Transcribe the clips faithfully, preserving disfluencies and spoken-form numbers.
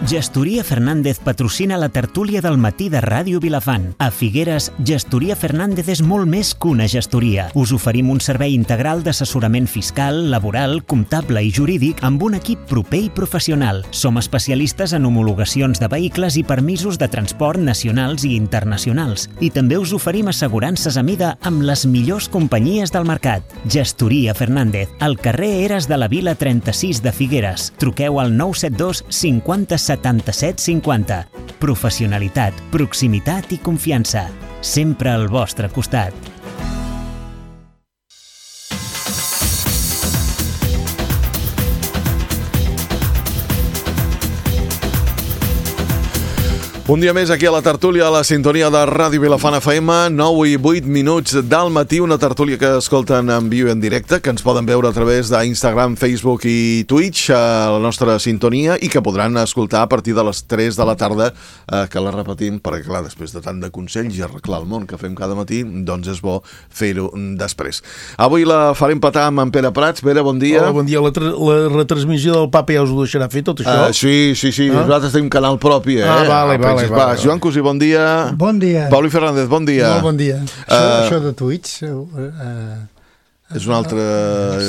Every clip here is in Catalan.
Gestoria Fernández patrocina la tertúlia del matí de Ràdio Vilafant. A Figueres, Gestoria Fernández és molt més que una gestoria. Us oferim un servei integral d'assessorament fiscal, laboral, comptable i jurídic amb un equip proper i professional. Som especialistes en homologacions de vehicles i permisos de transport nacionals i internacionals. I també us oferim assegurances a mida amb les millors companyies del mercat. Gestoria Fernández, al carrer Eres de la Vila trenta-sis de Figueres. Truqueu al nou set dos cinquanta setanta-set cinquanta. Professionalitat, proximitat i confiança. Sempre al vostre costat. Un dia més aquí a la tertúlia, a la sintonia de Ràdio Vilafant F M, nou i vuit minuts del matí, una tertúlia que escolten en viu i en directe, que ens poden veure a través d'Instagram, Facebook i Twitch, a la nostra sintonia, i que podran escoltar a partir de les tres de la tarda, eh, que la repetim, perquè clar, després de tant de consells i arreglar el món que fem cada matí, doncs és bo fer-ho després. Avui la farem petar amb en Pere Prats. Pere, bon dia. Hola, bon dia. La, la retransmissió del Papa ja us ho deixarà fer, tot això? Uh, sí, sí, sí. Ah? Nosaltres tenim canal propi, eh? Ah, vale, vale. Vale, va, Joan Cosí, bon dia. Bon dia. Pauli Fernández, bon dia. Molt bon dia. Uh, això, això de Twitch... Uh, és un altre...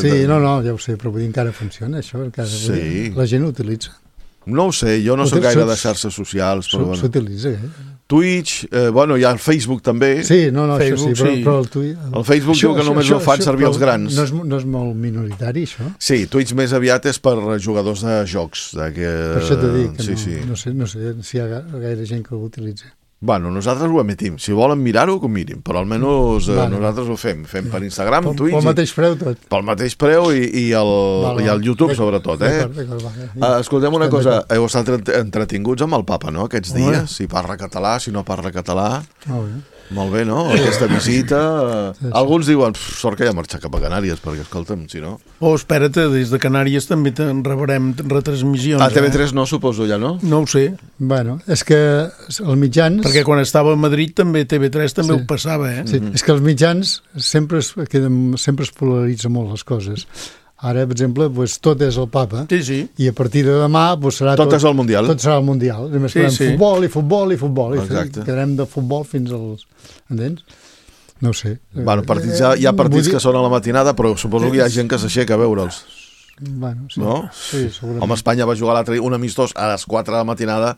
Sí, no, no, ja ho sé, però vull dir, encara funciona, això. Encara, sí. Dir, la gent ho utilitza. No ho sé, jo no soc gaire de xarxes socials, però bueno. S'utilitza, eh? Twitch, eh, bueno, hi ha el Facebook també. Sí, no, no, Facebook, això sí, però, sí. però el Twitch... El, el Facebook això, diu que només això, ho fan això, servir els grans. No és, no és molt minoritari, això? Sí, Twitch més aviat és per jugadors de jocs. De que... Per això t'he dit que sí, no, sí. no, sé, no sé si hi ha gaire gent que ho utilitza. Bueno, nosaltres ho emetim. Si volen mirar-ho, que ho mirin. Però almenys eh, vale. Nosaltres ho fem. Fem per Instagram, pel, Twitch... Pel mateix preu tot. Pel mateix preu i, i, el, vale, i el YouTube, sobretot. Eh? Uh, escoltem una cosa. Heu estat entretinguts amb el Papa, no?, aquests dies. Si parla català, si no parla català... Molt bé. Molt bé, no? Aquesta visita... Sí, sí. Alguns diuen, sort que ja marxa cap a Canàries, perquè, escolta'm, si no... Oh, espera't, des de Canàries també te'n rebrem retransmissions. A T V tres eh? no, suposo, ja, no? No ho sé. Bueno, és que els mitjans... Perquè quan estava a Madrid també T V tres també sí. ho passava, eh? Sí, mm-hmm. És que els mitjans sempre es, queden, sempre es polaritza molt les coses. Ara, per exemple, pues, tot és el Papa, sí, sí. i a partir de demà pues, serà tot, tot... és el Mundial. Tot serà el Mundial. Només sí, farem sí. futbol i futbol i futbol. Exacte. I quedarem de futbol fins als... Entens? No ho sé. Bueno, partits, hi ha, hi ha partits que són a la matinada, però suposo que hi ha gent que s'aixeca a veure'ls. Bueno, sí. No? Sí, segurament. Home, Espanya va jugar l'altre un amistós a les quatre de la matinada.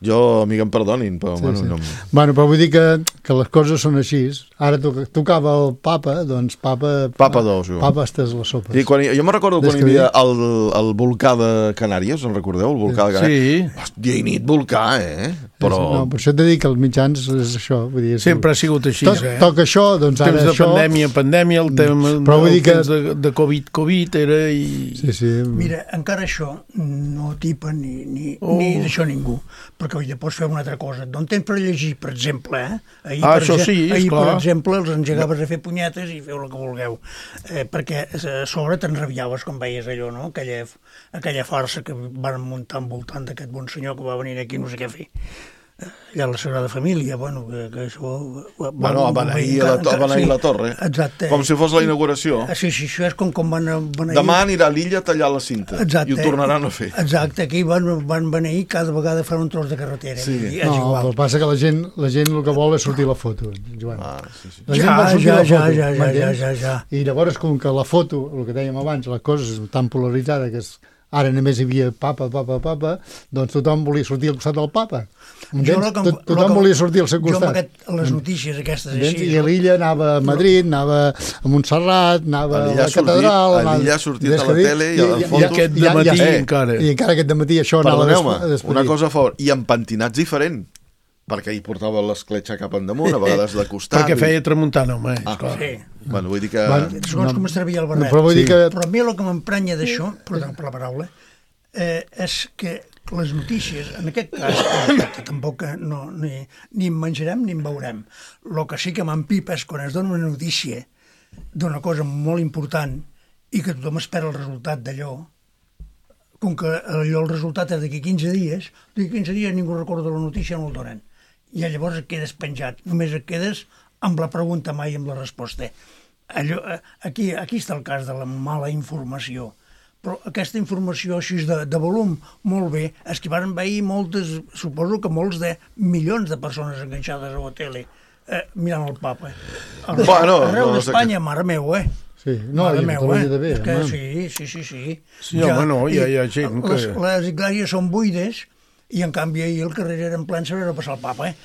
Jo, amiga, em perdonin, però... Sí, bueno, sí. No... bueno, però vull dir que, que les coses són així. Ara tocava el Papa, doncs Papa... Papa dos, jo. Papa estàs les sopes. Sí, quan, jo me recordo quan hi havia el, el volcà de Canàries, en recordeu? El volcà de Canàries. Sí. Dia i nit volcà, eh? Però... No, per això t'he dit que els mitjans és això. Vull dir, sempre ha sigut així, to eh? Toca això, doncs ara temps de això... pandèmia, pandèmia, el tema però vull dir que... de, de Covid, Covid era i... Sí, sí. Mira, encara això no tipa ni, ni, oh. ni d'això ningú, perquè oi, pots fer una altra cosa. D'on tens per llegir, per exemple, eh? Ahir, ah, per, això sí, ahir per clar. exemple, els engegaves a fer punyetes i feu el que vulgueu. Eh, perquè a sobre t'enrabiaves quan veies allò, no? Aquella, aquella farsa que van muntar envoltant d'aquest bon senyor que va venir aquí no sé què fer. Allà a la Sagrada Família, bueno, que, que això... Bueno, a beneir la, sí, la torre. Exacte. Com si fos la inauguració. Sí, sí, això és com quan van beneir... Demà anirà a l'illa a tallar la cinta. Exacte. I ho tornaran a fer. Exacte, aquí van, van beneir cada vegada fan un tros de carretera. Sí. I és no, igual. el que passa que la gent, la gent el que vol és sortir la foto, Joan. Ah, sí, sí. La gent ja, vol sortir ja, la foto, ja, ja, ja, ja, ja. I llavors, com que la foto, el que dèiem abans, la cosa és tan polaritzada que és, ara només hi havia papa, papa, papa, doncs tothom volia sortir al costat del papa. Jo, que, Tot, tothom que, volia sortir al seu costat. Jo amb aquest, les notícies aquestes Entens? així... I a l'illa anava a Madrid, anava a Montserrat, anava a la catedral... A l'illa ha sortit a la tele i a les fotos... I aquest dematí ja, ja, encara. I encara aquest dematí això anava... Perdoneu-me, una cosa a favor, i amb pentinats diferent, perquè hi portava l'escletxa cap endmunt, a vegades de costat... Perquè feia tramuntana, home, ah, clar. Sí. Bueno, vull dir que... Bueno, segons no, com es trebia el barret. No, però vull sí. dir que... Però a mi el que m'emprenya d'això, perdó per la paraula, eh, és que les notícies, en aquest cas, que tampoc no, ni, ni en menjarem ni en veurem. El que sí que m'empipa és quan es dona una notícia d'una cosa molt important i que tothom espera el resultat d'allò, com que allò el resultat és d'aquí quinze dies, d'aquí quinze dies ningú recorda la notícia, no el donen. I llavors et quedes penjat, només et quedes amb la pregunta, mai amb la resposta. Allò, aquí, aquí està el cas de la mala informació. però aquesta informació així de, de volum, molt bé, és que van veure moltes, suposo que molts de milions de persones enganxades a la tele, eh, mirant el papa. Arreu, bueno, arreu no, d'Espanya, no sé mare meu, eh? Sí, no, mare i meu, a eh? també, És que, home. sí, sí, sí, sí. Sí, home, no, hi ha- hi ha gent que- Les, les iglesias són buides i, en canvi, ahir el carrer era en plen saber passar el papa, eh?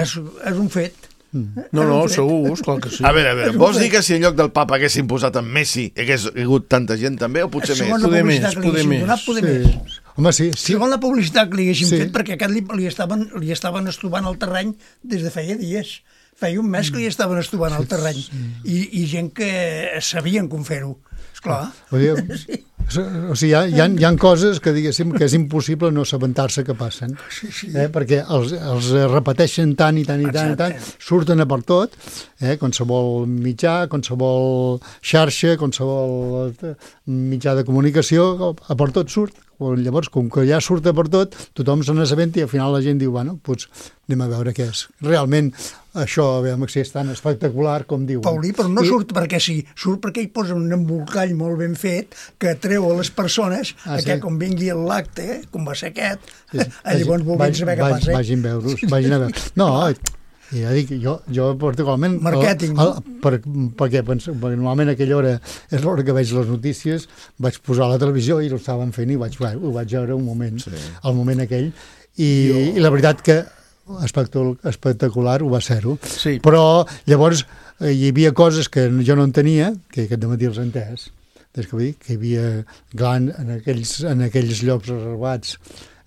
És, és un fet. No, no, segur, esclar que sí. A veure, a veure, vols dir que si en lloc del papa haguessin posat en Messi hagués hagut tanta gent també, o potser més? Segons la Poder publicitat més, que li poder haguessin més. donat, poder Sí. més. Home, sí, sí. Segons la publicitat que li haguessin Sí. fet, perquè aquest li, li, estaven, li estaven estuvant el terreny des de feia dies. Feia un mes que li estaven estuvant el terreny. I, i gent que sabien com fer-ho. Esclar. Vull dir, Sí. o sigui, hi ha, hi, ha, hi ha coses que, diguéssim, que és impossible no assabentar-se que passen. Sí, sí. Eh? Perquè els, els repeteixen tant i tant i tant i tant, surten a per tot, eh? Qualsevol mitjà, qualsevol xarxa, qualsevol eh, mitjà de comunicació, a per tot surt. Llavors, com que ja surt a per tot, tothom se n'assabenta i al final la gent diu, bueno, doncs anem a veure què és. Realment, això, a veure si és tan espectacular com diuen. Paulí, però no I- surt perquè sí, surt perquè hi posa un embolcall molt ben fet que atreu a les persones Ah, a sí? que quan vingui l'acte, com va ser aquest, Sí, a llavors vulguin saber què vagi- passa. Vagin a veure-us, vagin a veure. No, ja dic, jo, jo particularment... Markèting. El, el, per, perquè, pens, perquè normalment a aquella hora és l'hora que veig les notícies, vaig posar a la televisió i ho estaven fent i vaig, ho vaig veure un moment, sí. el moment aquell, i, i la veritat que espectacular, espectacular ho va ser-ho. Sí. Però llavors eh, hi havia coses que jo no entenia, que aquest dematí els he entès, des que, vull dir, que hi havia gran, en, aquells, en aquells llocs reservats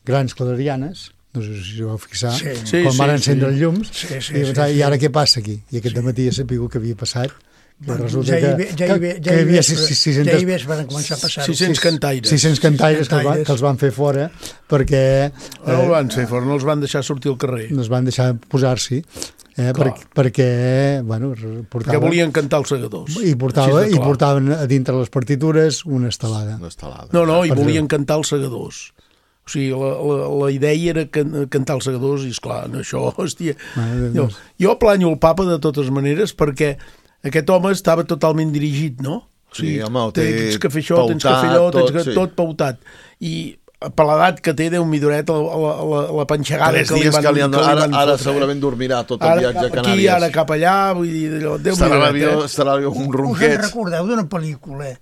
grans clarianes, no sé si ho vau fixar, Sí. Sí, quan sí, van sí. encendre els llums, Sí, sí, i, sí, pensava, sí. i ara què passa aquí? I aquest dematí ja sabia que havia passat, que Bueno, resulta ja hi ve, que, ja hi ve, que, ja que hi hi havia ve, sis- sis- ja hi sis-centes ve, van començar a passar-ho. sis-cents cantaires. sis-cents cantaires que els, van, cantaires. que els van fer fora perquè No el eh, van fer fora, no els van deixar sortir al carrer. no es van deixar posar-s'hi, eh, per, perquè bueno, Perquè portaven, volien cantar els segadors. i, portava, Així de i clar. portaven a dintre les partitures una estelada. Una estelada. No, no, i Per volien cantar els segadors. O sigui, la, la, la idea era can, cantar els segadors i, esclar, no, això, hòstia... Mare de Jo, Déu. jo planyo el papa de totes maneres perquè aquest home estava totalment dirigit, no? O Sí, home, ho té tens que fer això, tens que fer pautat, allò, tens tot, que, sí. tot pautat. I per l'edat que té, Déu midoret, la, la, la, la panxegada Tres que li dies van, que li han que li ara, van ara fotre, segurament dormirà tot el Ara viatge a cap aquí, Canàries. ara cap allà, vull dir, allò, Déu Estarà a midoret, l'avió, eh? estarà a l'avió un Us en ronquet. recordeu d'una pel·lícula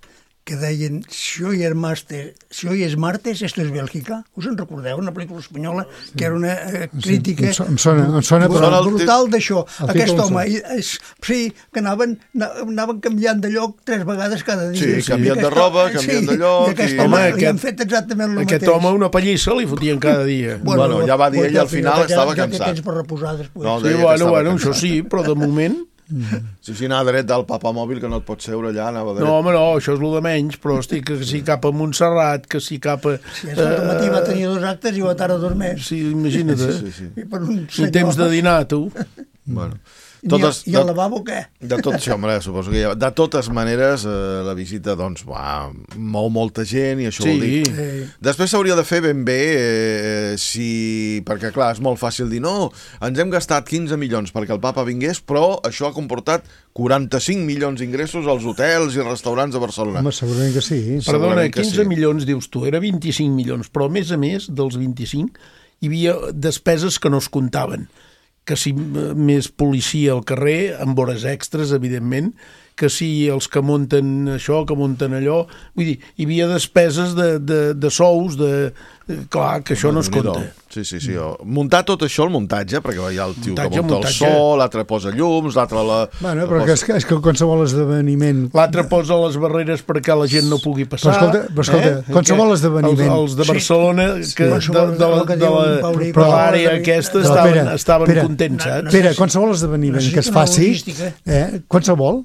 que deien si hoy es martes, si hoy es martes, esto es Bèlgica? Us en recordeu? Una pel·lícula espanyola que era una eh, crítica em so- em sona- em sona, brutal, però- brutal d'això. el Aquest títol em home, sona. i- és, sí, que anaven, na- anaven canviant de lloc tres vegades cada dia. Sí, canviant I de aquest- roba, canviant de lloc, I aquest i- home, Home, li aquest- han fet exactament el Aquest mateix. home una pallissa li fotien cada dia. Bueno, ja va dir pues ell, al final ja- estava ja té cansat. temps per reposar després. No, Sí, deia que bueno, estava bueno, això cansat. sí, però de moment... Si sí, anar dret del papa mòbil, que no et pots seure allà, anava dret. No, home, no, això és el de menys, però estic que si cap a Montserrat, que si cap a... Si és el matí va tenir dos actes i va tardar dos més. Sí, imagina't, Sí, eh? sí, sí. I per un Ni senyor... temps de dinar, tu. Bueno. I, Totes, I el de, lavabo què? de tot, sí, home, suposo que ja, de totes maneres eh, la visita doncs va, mou molta gent i això Sí. vol dir. Sí. Després s'hauria de fer ben bé eh, si, perquè clar, és molt fàcil dir no, ens hem gastat quinze milions perquè el papa vingués, però això ha comportat quaranta-cinc milions d'ingressos als hotels i restaurants de Barcelona. Home, segurament que sí. Perdona, Segurament que quinze sí. milions, dius tu, era vint-i-cinc milions, però a més a més dels vint-i-cinc hi havia despeses que no es comptaven, que si més policia al carrer, amb hores extres, evidentment, que si els que munten això, que munten allò... Vull dir, hi havia despeses de, de, de sous, de... Clar, que això no es Déu-n'hi-do. compta. Sí, sí, sí. Muntar tot això, el muntatge, perquè hi ha el tio Muntatge, que munta muntatge. el so, l'altre posa llums, l'altre la... Bueno, però que és, que és que qualsevol esdeveniment... L'altre posa les barreres perquè la gent no pugui passar. Però escolta, però escolta, qualsevol Que esdeveniment- Els, els de Sí. Barcelona, que Sí. de, de, la, El que de, diu la, en Paulí, de però- l'àrea aquesta Però, estaven, Pere, estaven Pere, contents, no, saps? no, Pere, qualsevol esdeveniment que es Necessita una faci, logística. eh, qualsevol,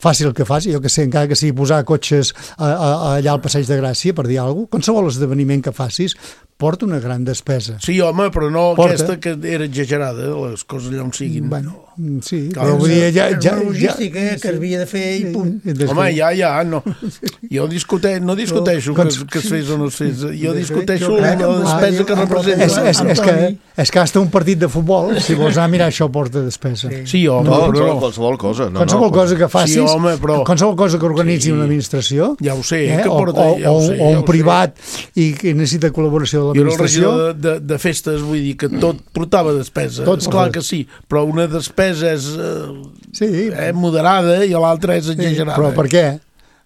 faci el que faci, jo que sé, encara que sigui posar cotxes a, a, a allà al Passeig de Gràcia, per dir alguna cosa, qualsevol esdeveniment que facis, porta una gran despesa. Sí, home, però no Porta. aquesta que era exagerada, les coses allà on siguin. Bueno, sí, Clar, però vull dir, ja... És ja, una ja logística eh, que havia de fer i punt. Home, ja, ja, no. Jo discute, no discuteixo que, Cons- que es fes o no es fes. Jo Sí, discuteixo jo crec la que despesa que Antoni- representa. És, és, és, que, Antoni. és que hasta un partit de futbol, si vols anar a mirar, això porta despesa. Sí. Sí, home, No, però no, no. qualsevol cosa. No, Qualsevol no, cosa que facis, Sí, home, però- qualsevol cosa que organitzi Sí. una administració, Ja ho sé, eh, que o, porta... o, ja ho o, sé, o ja un ho sé. privat i que necessita col·laboració de Jo era el l'administració, regidor de, de, de festes, vull dir que tot portava despesa. Tot És clar porta. que sí, però una despesa és eh, sí, eh, moderada i l'altra és sí, exagerada. però per què?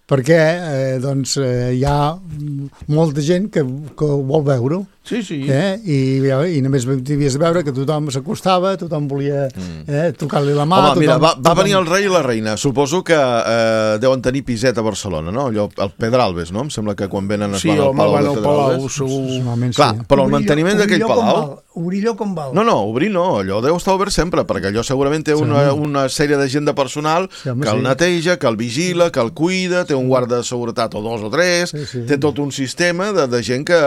Perquè eh, doncs, eh, hi ha molta gent que, que vol veure-ho. Sí, sí. Eh? I, i només havies de veure que tothom s'acostava, tothom volia eh, tocar-li la mà. Home, tothom, mira, va, va tothom... venir el rei i la reina. Suposo que eh, deuen tenir piset a Barcelona, no? Allò, el Pedralbes, no? Em sembla que quan venen es Sí, van al home, Palau van de al Palau, Pedralbes. segur. Normalment Clar, sí. però el Obrir-lo- manteniment d'aquell obrir-lo com palau... val, Obrir-lo com val. No, no, obrir no, allò deu estar obert sempre, perquè allò segurament té una, una sèrie de gent de personal Sí, home, que el sí. neteja, que el vigila, que el cuida, té un guarda de seguretat o dos o tres, Sí, sí. té tot un sistema de, de gent que...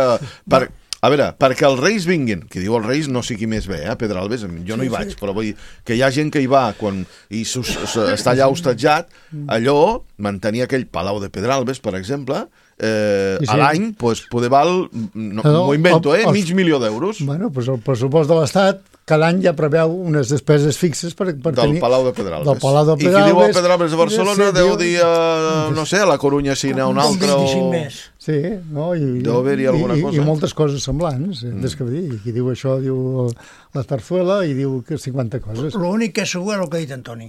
Per, a veure, perquè els reis vinguin, qui diu els reis no sé qui més ve, eh, Pedralbes, jo no hi vaig, però vull dir que hi ha gent que hi va quan i sus, està allà hostatjat, allò, mantenir aquell Palau de Pedralbes, per exemple, eh, Sí, sí. a l'any, pues, poder val, no, No, m'ho invento, eh, els- mig milió d'euros. Bueno, doncs el pressupost de l'Estat cada any ja preveu unes despeses fixes per, per Del tenir... Palau de Pedralbes. Del Palau de I qui diu el Pedralbes... Pedralbes de Barcelona Sí, deu diu- dir, uh, no sé, a la Corunya si n'hi ha un Un altre o... vint-i-cinc més. Sí, no? I, Deu haver-hi alguna i, cosa. I moltes coses semblants. Mm. Des que dir, qui diu això diu la Tarzuela i diu que cinquanta coses. L'únic que és segur és el que ha dit Antoni.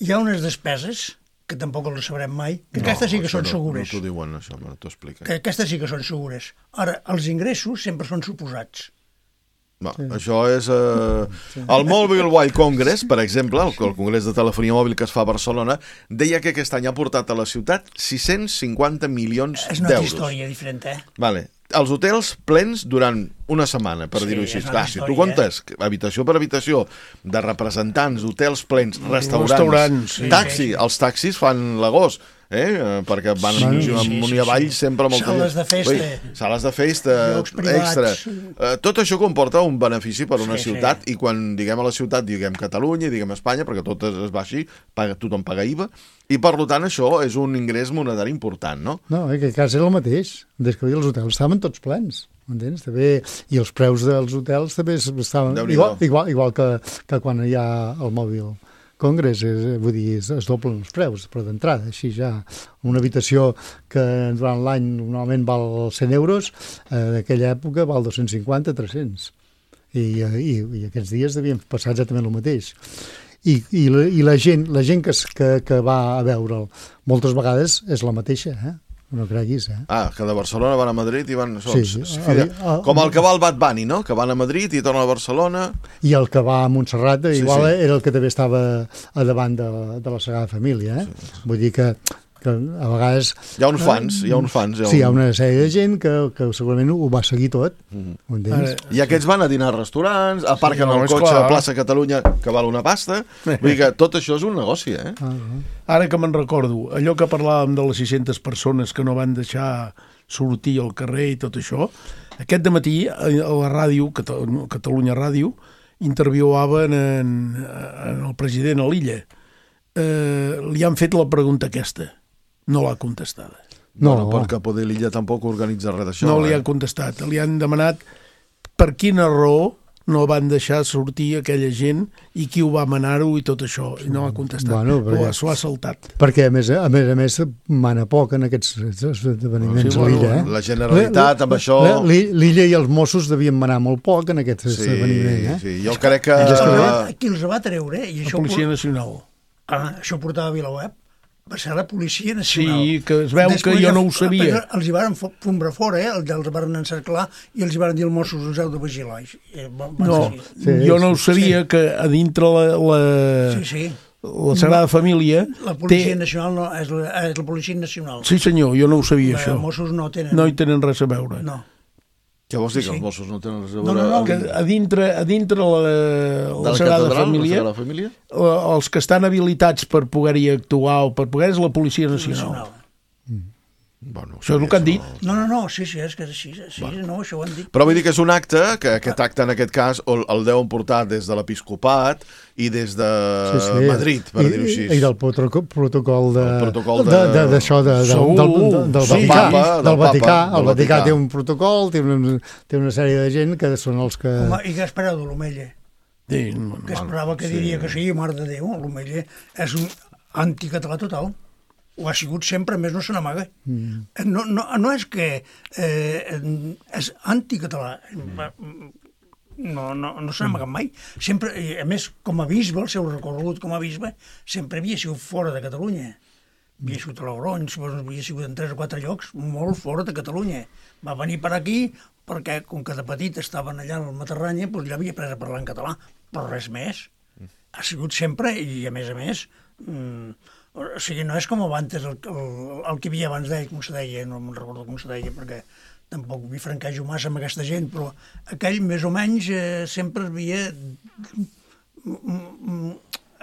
Hi ha unes despeses que tampoc les sabrem mai, que no, aquestes sí que això són no, segures. No t'ho diuen, això, me t'ho explica. Que aquestes sí que són segures. Ara, els ingressos sempre són suposats. No, sí. Això és... Eh... Sí. El Mobile World Congress, per exemple, el, el congrés de telefonia mòbil que es fa a Barcelona, deia que aquest any ha portat a la ciutat sis-cents cinquanta milions És una altra d'euros. història diferent, eh? Vale. Els hotels plens durant una setmana, per Sí, dir-ho així. és una Clar, si tu història, comptes habitació per habitació de representants, hotels plens, restaurants, Restaurants, sí. taxi, els taxis fan l'agost, eh? perquè van Sí, amunt sí, i sí, avall sí. sempre amb el Sales de festa. Ui, sales de festa, Llocs privats. extra. Eh, tot això comporta un benefici per una Sí, ciutat sí. i quan diguem a la ciutat diguem Catalunya i diguem Espanya, perquè tot es, es va així, paga, tothom paga I V A, i per tant això és un ingrés monetari important, no? No, en aquest cas era el mateix. Des que els hotels estaven tots plens. M'entens? També, i els preus dels hotels també estaven Déu-n'hi-do. igual, igual, igual que, que quan hi ha el mòbil Congress, és, vull dir, es, es doblen els preus, però d'entrada, així ja. Una habitació que durant l'any normalment val cent euros, eh, d'aquella època val dos-cents cinquanta, tres-cents. I, eh, i, I aquests dies devien passar exactament el mateix. I, i, la, i la gent, la gent que, es- que, que va a veure'l moltes vegades és la mateixa, eh? No creguis, eh? Ah, que de Barcelona van a Madrid i van... Sí, Sí, sí. fide, Ah, ah, com el que va al Bad Bunny, no? Que van a Madrid i tornen a Barcelona... I el que va a Montserrat, Sí, igual sí. era el que també estava a davant de, de la Sagrada Família, eh? Sí, sí. Vull dir que, que a vegades... Hi ha uns fans, hi ha uns fans. Sí, hi ha una sèrie de gent que, que segurament ho va seguir tot. Mhm. Ho entens? I aquests van a dinar a restaurants, aparquen no, el és cotxe clar. a plaça Catalunya, que val una pasta. Vull dir que tot això és un negoci, eh? Ah, ah. Ara que me'n recordo, allò que parlàvem de les sis-centes persones que no van deixar sortir al carrer i tot això, aquest dematí a la ràdio, Cata- Catalunya Ràdio, interviuaven en, en el president a l'illa. Eh, li han fet la pregunta aquesta. No l'ha contestada. No, Bueno, perquè poder l'illa tampoc organitza res d'això. No li eh? ha contestat. Li han demanat per quina raó no van deixar sortir aquella gent i qui ho va manar-ho i tot això. I no ha contestat. Bueno, Però perquè- s'ho ha saltat. Perquè, a més a més, a més mana poc en aquests esdeveniments Sí, a bueno, l'illa, eh? La Generalitat, amb això... La- li- L'illa i els Mossos devien manar molt poc en aquest Sí, esdeveniment, eh? sí, jo crec que... Uh, qui els va treure, i La això, Policia Nacional. ah, això portava a VilaWeb, va ser la Policia Nacional. Sí, que es veu que jo no ho sabia. Després els hi varen fo- fombrar fora, eh? els van encerclar i els hi van dir els Mossos, us heu de vigilar. I, van, van No, seguir. Sí, jo no ho sí, sabia, que a dintre la, la, Sí, sí. la Sagrada Família La Policia té... Nacional no, és la, és la Policia Nacional. Sí, senyor, jo no ho sabia, Els això. Mossos no tenen... No hi tenen res a veure. No. Què vols dir, que Sí. els Mossos no tenen res a No, veure? no, no, amb- Que a dintre, a dintre la, de la la Sagrada catedral, Família, la Sagrada Família? eh, els que estan habilitats per poder-hi actuar o per poder és la Policia Nacional. Nacional. Bueno, Això és el que han dit. No, no, no, sí, sí, és que és així, sí, bueno. no, això ho han dit. Però vull dir que és un acte, que aquest acte en aquest cas el, el deuen portar des de l'Episcopat i des de sí, sí. Madrid, per dir-ho així. I del protocol, protocol de... El protocol de... D'això, de, de, de, del, del, del sí. Vaticà. Papa, del, del Vaticà. Papa, El del Vaticà Vaticà té un protocol, té una, té una sèrie de gent que són els que... Home, i què espereu de l'Omella? Sí, Que esperava que diria que sí, mare de Déu, l'Omella és un anticatalà total. Ho ha sigut sempre, més no se n'amaga. Mm. No, no, no és que eh, és anticatalà. No, no, no se n'amaga mai. Sempre, a més, com a bisbe, el seu recorregut com a bisbe, sempre havia sigut fora de Catalunya. Havia sigut a Logronyo, havia sigut en tres o quatre llocs, molt fora de Catalunya. Va venir per aquí perquè, com que de petit estaven allà al Matarranya, doncs ja havia pres a parlar en català, però res més. Ha sigut sempre, i a més a més... Mmm, o sigui, no és com abans, el, el, el que hi havia abans d'ell, com se deia, no me'n recordo com se deia, perquè tampoc m'hi franquejo massa amb aquesta gent, però aquell més o menys eh, sempre havia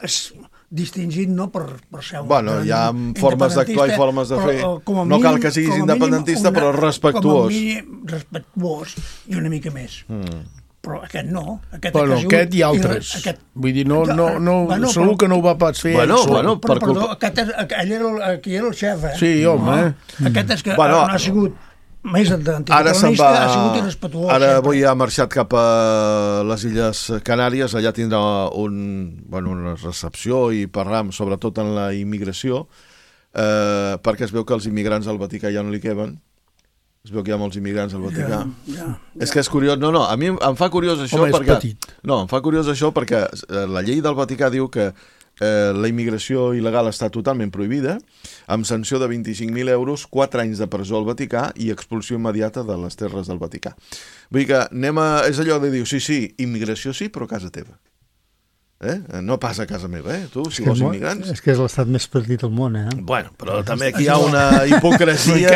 es distingit no per, per ser un... Bueno, hi ha formes d'actuar i formes de fer. Però, no cal que siguis independentista, mínim, una, però respectuós. Com a mínim, respectuós i una mica més. Mm. Però aquest no. Aquest, bueno, aquest i altres. Aquest... Vull dir, no, no, no, bueno, segur però... que no ho va pas fer. Bueno, ell bueno, però, per perdó, aquest és, ell era el, aquí era el xef, eh? Sí, home. No, aquest és que bueno, no ha sigut més anticatalonista, va... ha sigut irrespetuós. Ara sempre. avui ha marxat cap a les Illes Canàries, allà tindrà un, bueno, una recepció i parlar sobretot en la immigració, eh, perquè es veu que els immigrants al Vaticà ja no li queben. Es veu que hi ha molts immigrants al Vaticà. Ja, ja, ja. És que és curiós. No, no, a mi em fa curiós això Home, perquè... petit. No, em fa curiós això perquè la llei del Vaticà diu que eh, la immigració il·legal està totalment prohibida, amb sanció de vint-i-cinc mil euros, quatre anys de presó al Vaticà i expulsió immediata de les terres del Vaticà. Vull dir que anem a... És allò de dir, sí, sí, immigració sí, però a casa teva. Eh? No pas a casa meva, eh? Tu, si vols immigrants... És que és l'estat més petit del món, eh? Bueno, però també aquí hi ha una hipocresia...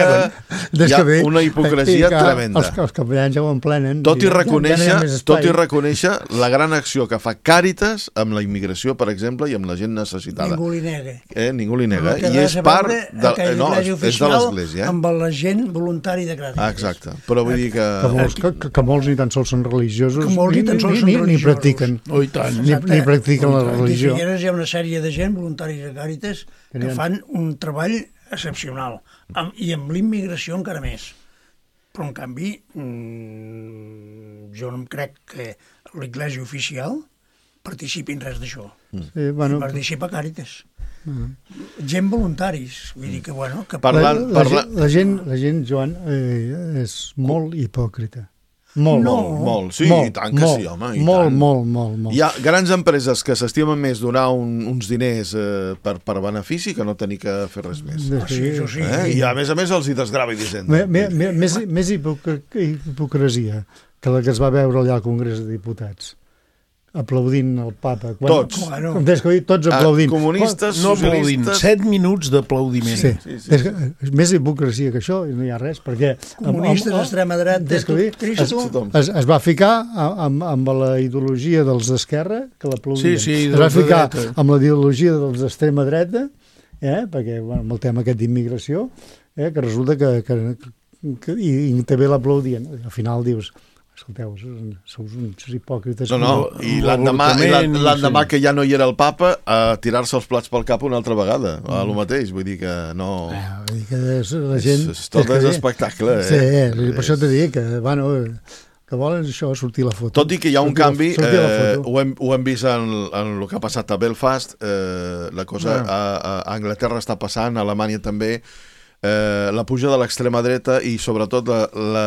hi ha una hipocresia tremenda. Els, els capellans ja ho emplenen. Tot i, reconèixer, ja, ja tot i reconèixer la gran acció que fa Càritas amb la immigració, per exemple, i amb la gent necessitada. Ningú li nega. Eh? Ningú li nega. I és part... De, no, és de l'Església. Eh? Amb la gent voluntari de Càritas. Ah, exacte. Però vull dir que... Que molts, que, que molts ni tan sols són religiosos, que molts ni, tan sols ni, són ni, ni practiquen. Oh, i tant. Ni, ni practiquen la religió. A Figueres hi ha una sèrie de gent, voluntaris de Càritas, que fan un treball excepcional, amb, i amb l'immigració encara més. Però, en canvi, mmm, jo no em crec que l'Església oficial participi en res d'això. Sí, bueno, participa Càritas. Uh-huh. Gent voluntaris, vull dir que, bueno... Que... Parlant, la, la, parla... la, gent, la gent, Joan, eh, és molt hipòcrita. Molt, no, molt, molt. Sí, molt, i tant que molt, sí, home, i molt, tant. Molt, molt, molt. Hi ha grans empreses que s'estimen més donar un, uns diners eh, per, per benefici que no tenir que fer res més. Ah, sí, això sí. Eh? I a més a més els hi desgrava i d'Hisenda. Més, més hipocresia que la que es va veure allà al Congrés de Diputats. Aplaudint el papa. Quan, tots. Bueno, tots aplaudint. Ah, comunistes, no aplaudint. Set minuts d'aplaudiment. Sí, sí, sí. És, és més hipocresia que això, i no hi ha res, perquè... Comunistes, extrema dreta, es, es, es va ficar amb, amb la ideologia dels d'esquerra, que l'aplaudien. Sí, sí, es va ficar dreta. Amb la ideologia dels d'extrema dreta, eh, perquè, bueno, amb el tema aquest d'immigració, eh, que resulta que... que, que i, i també l'aplaudien. Al final dius... Escolteu, sou uns hipòcrites. No, no, i l'endemà l'endemà que ja no hi era el papa, a tirar-se els plats pel cap una altra vegada, a lo mateix, vull dir que no... Ah, vull dir que la gent... És, és tot és espectacle, eh? Sí, eh, per això t'he dit que, bueno, que volen això, sortir la foto. Tot i que hi ha un canvi, eh, ho, hem, ho hem vist en, en el que ha passat a Belfast, eh, la cosa a, a Anglaterra està passant, a Alemanya també, Eh, la puja de l'extrema dreta i sobretot la, la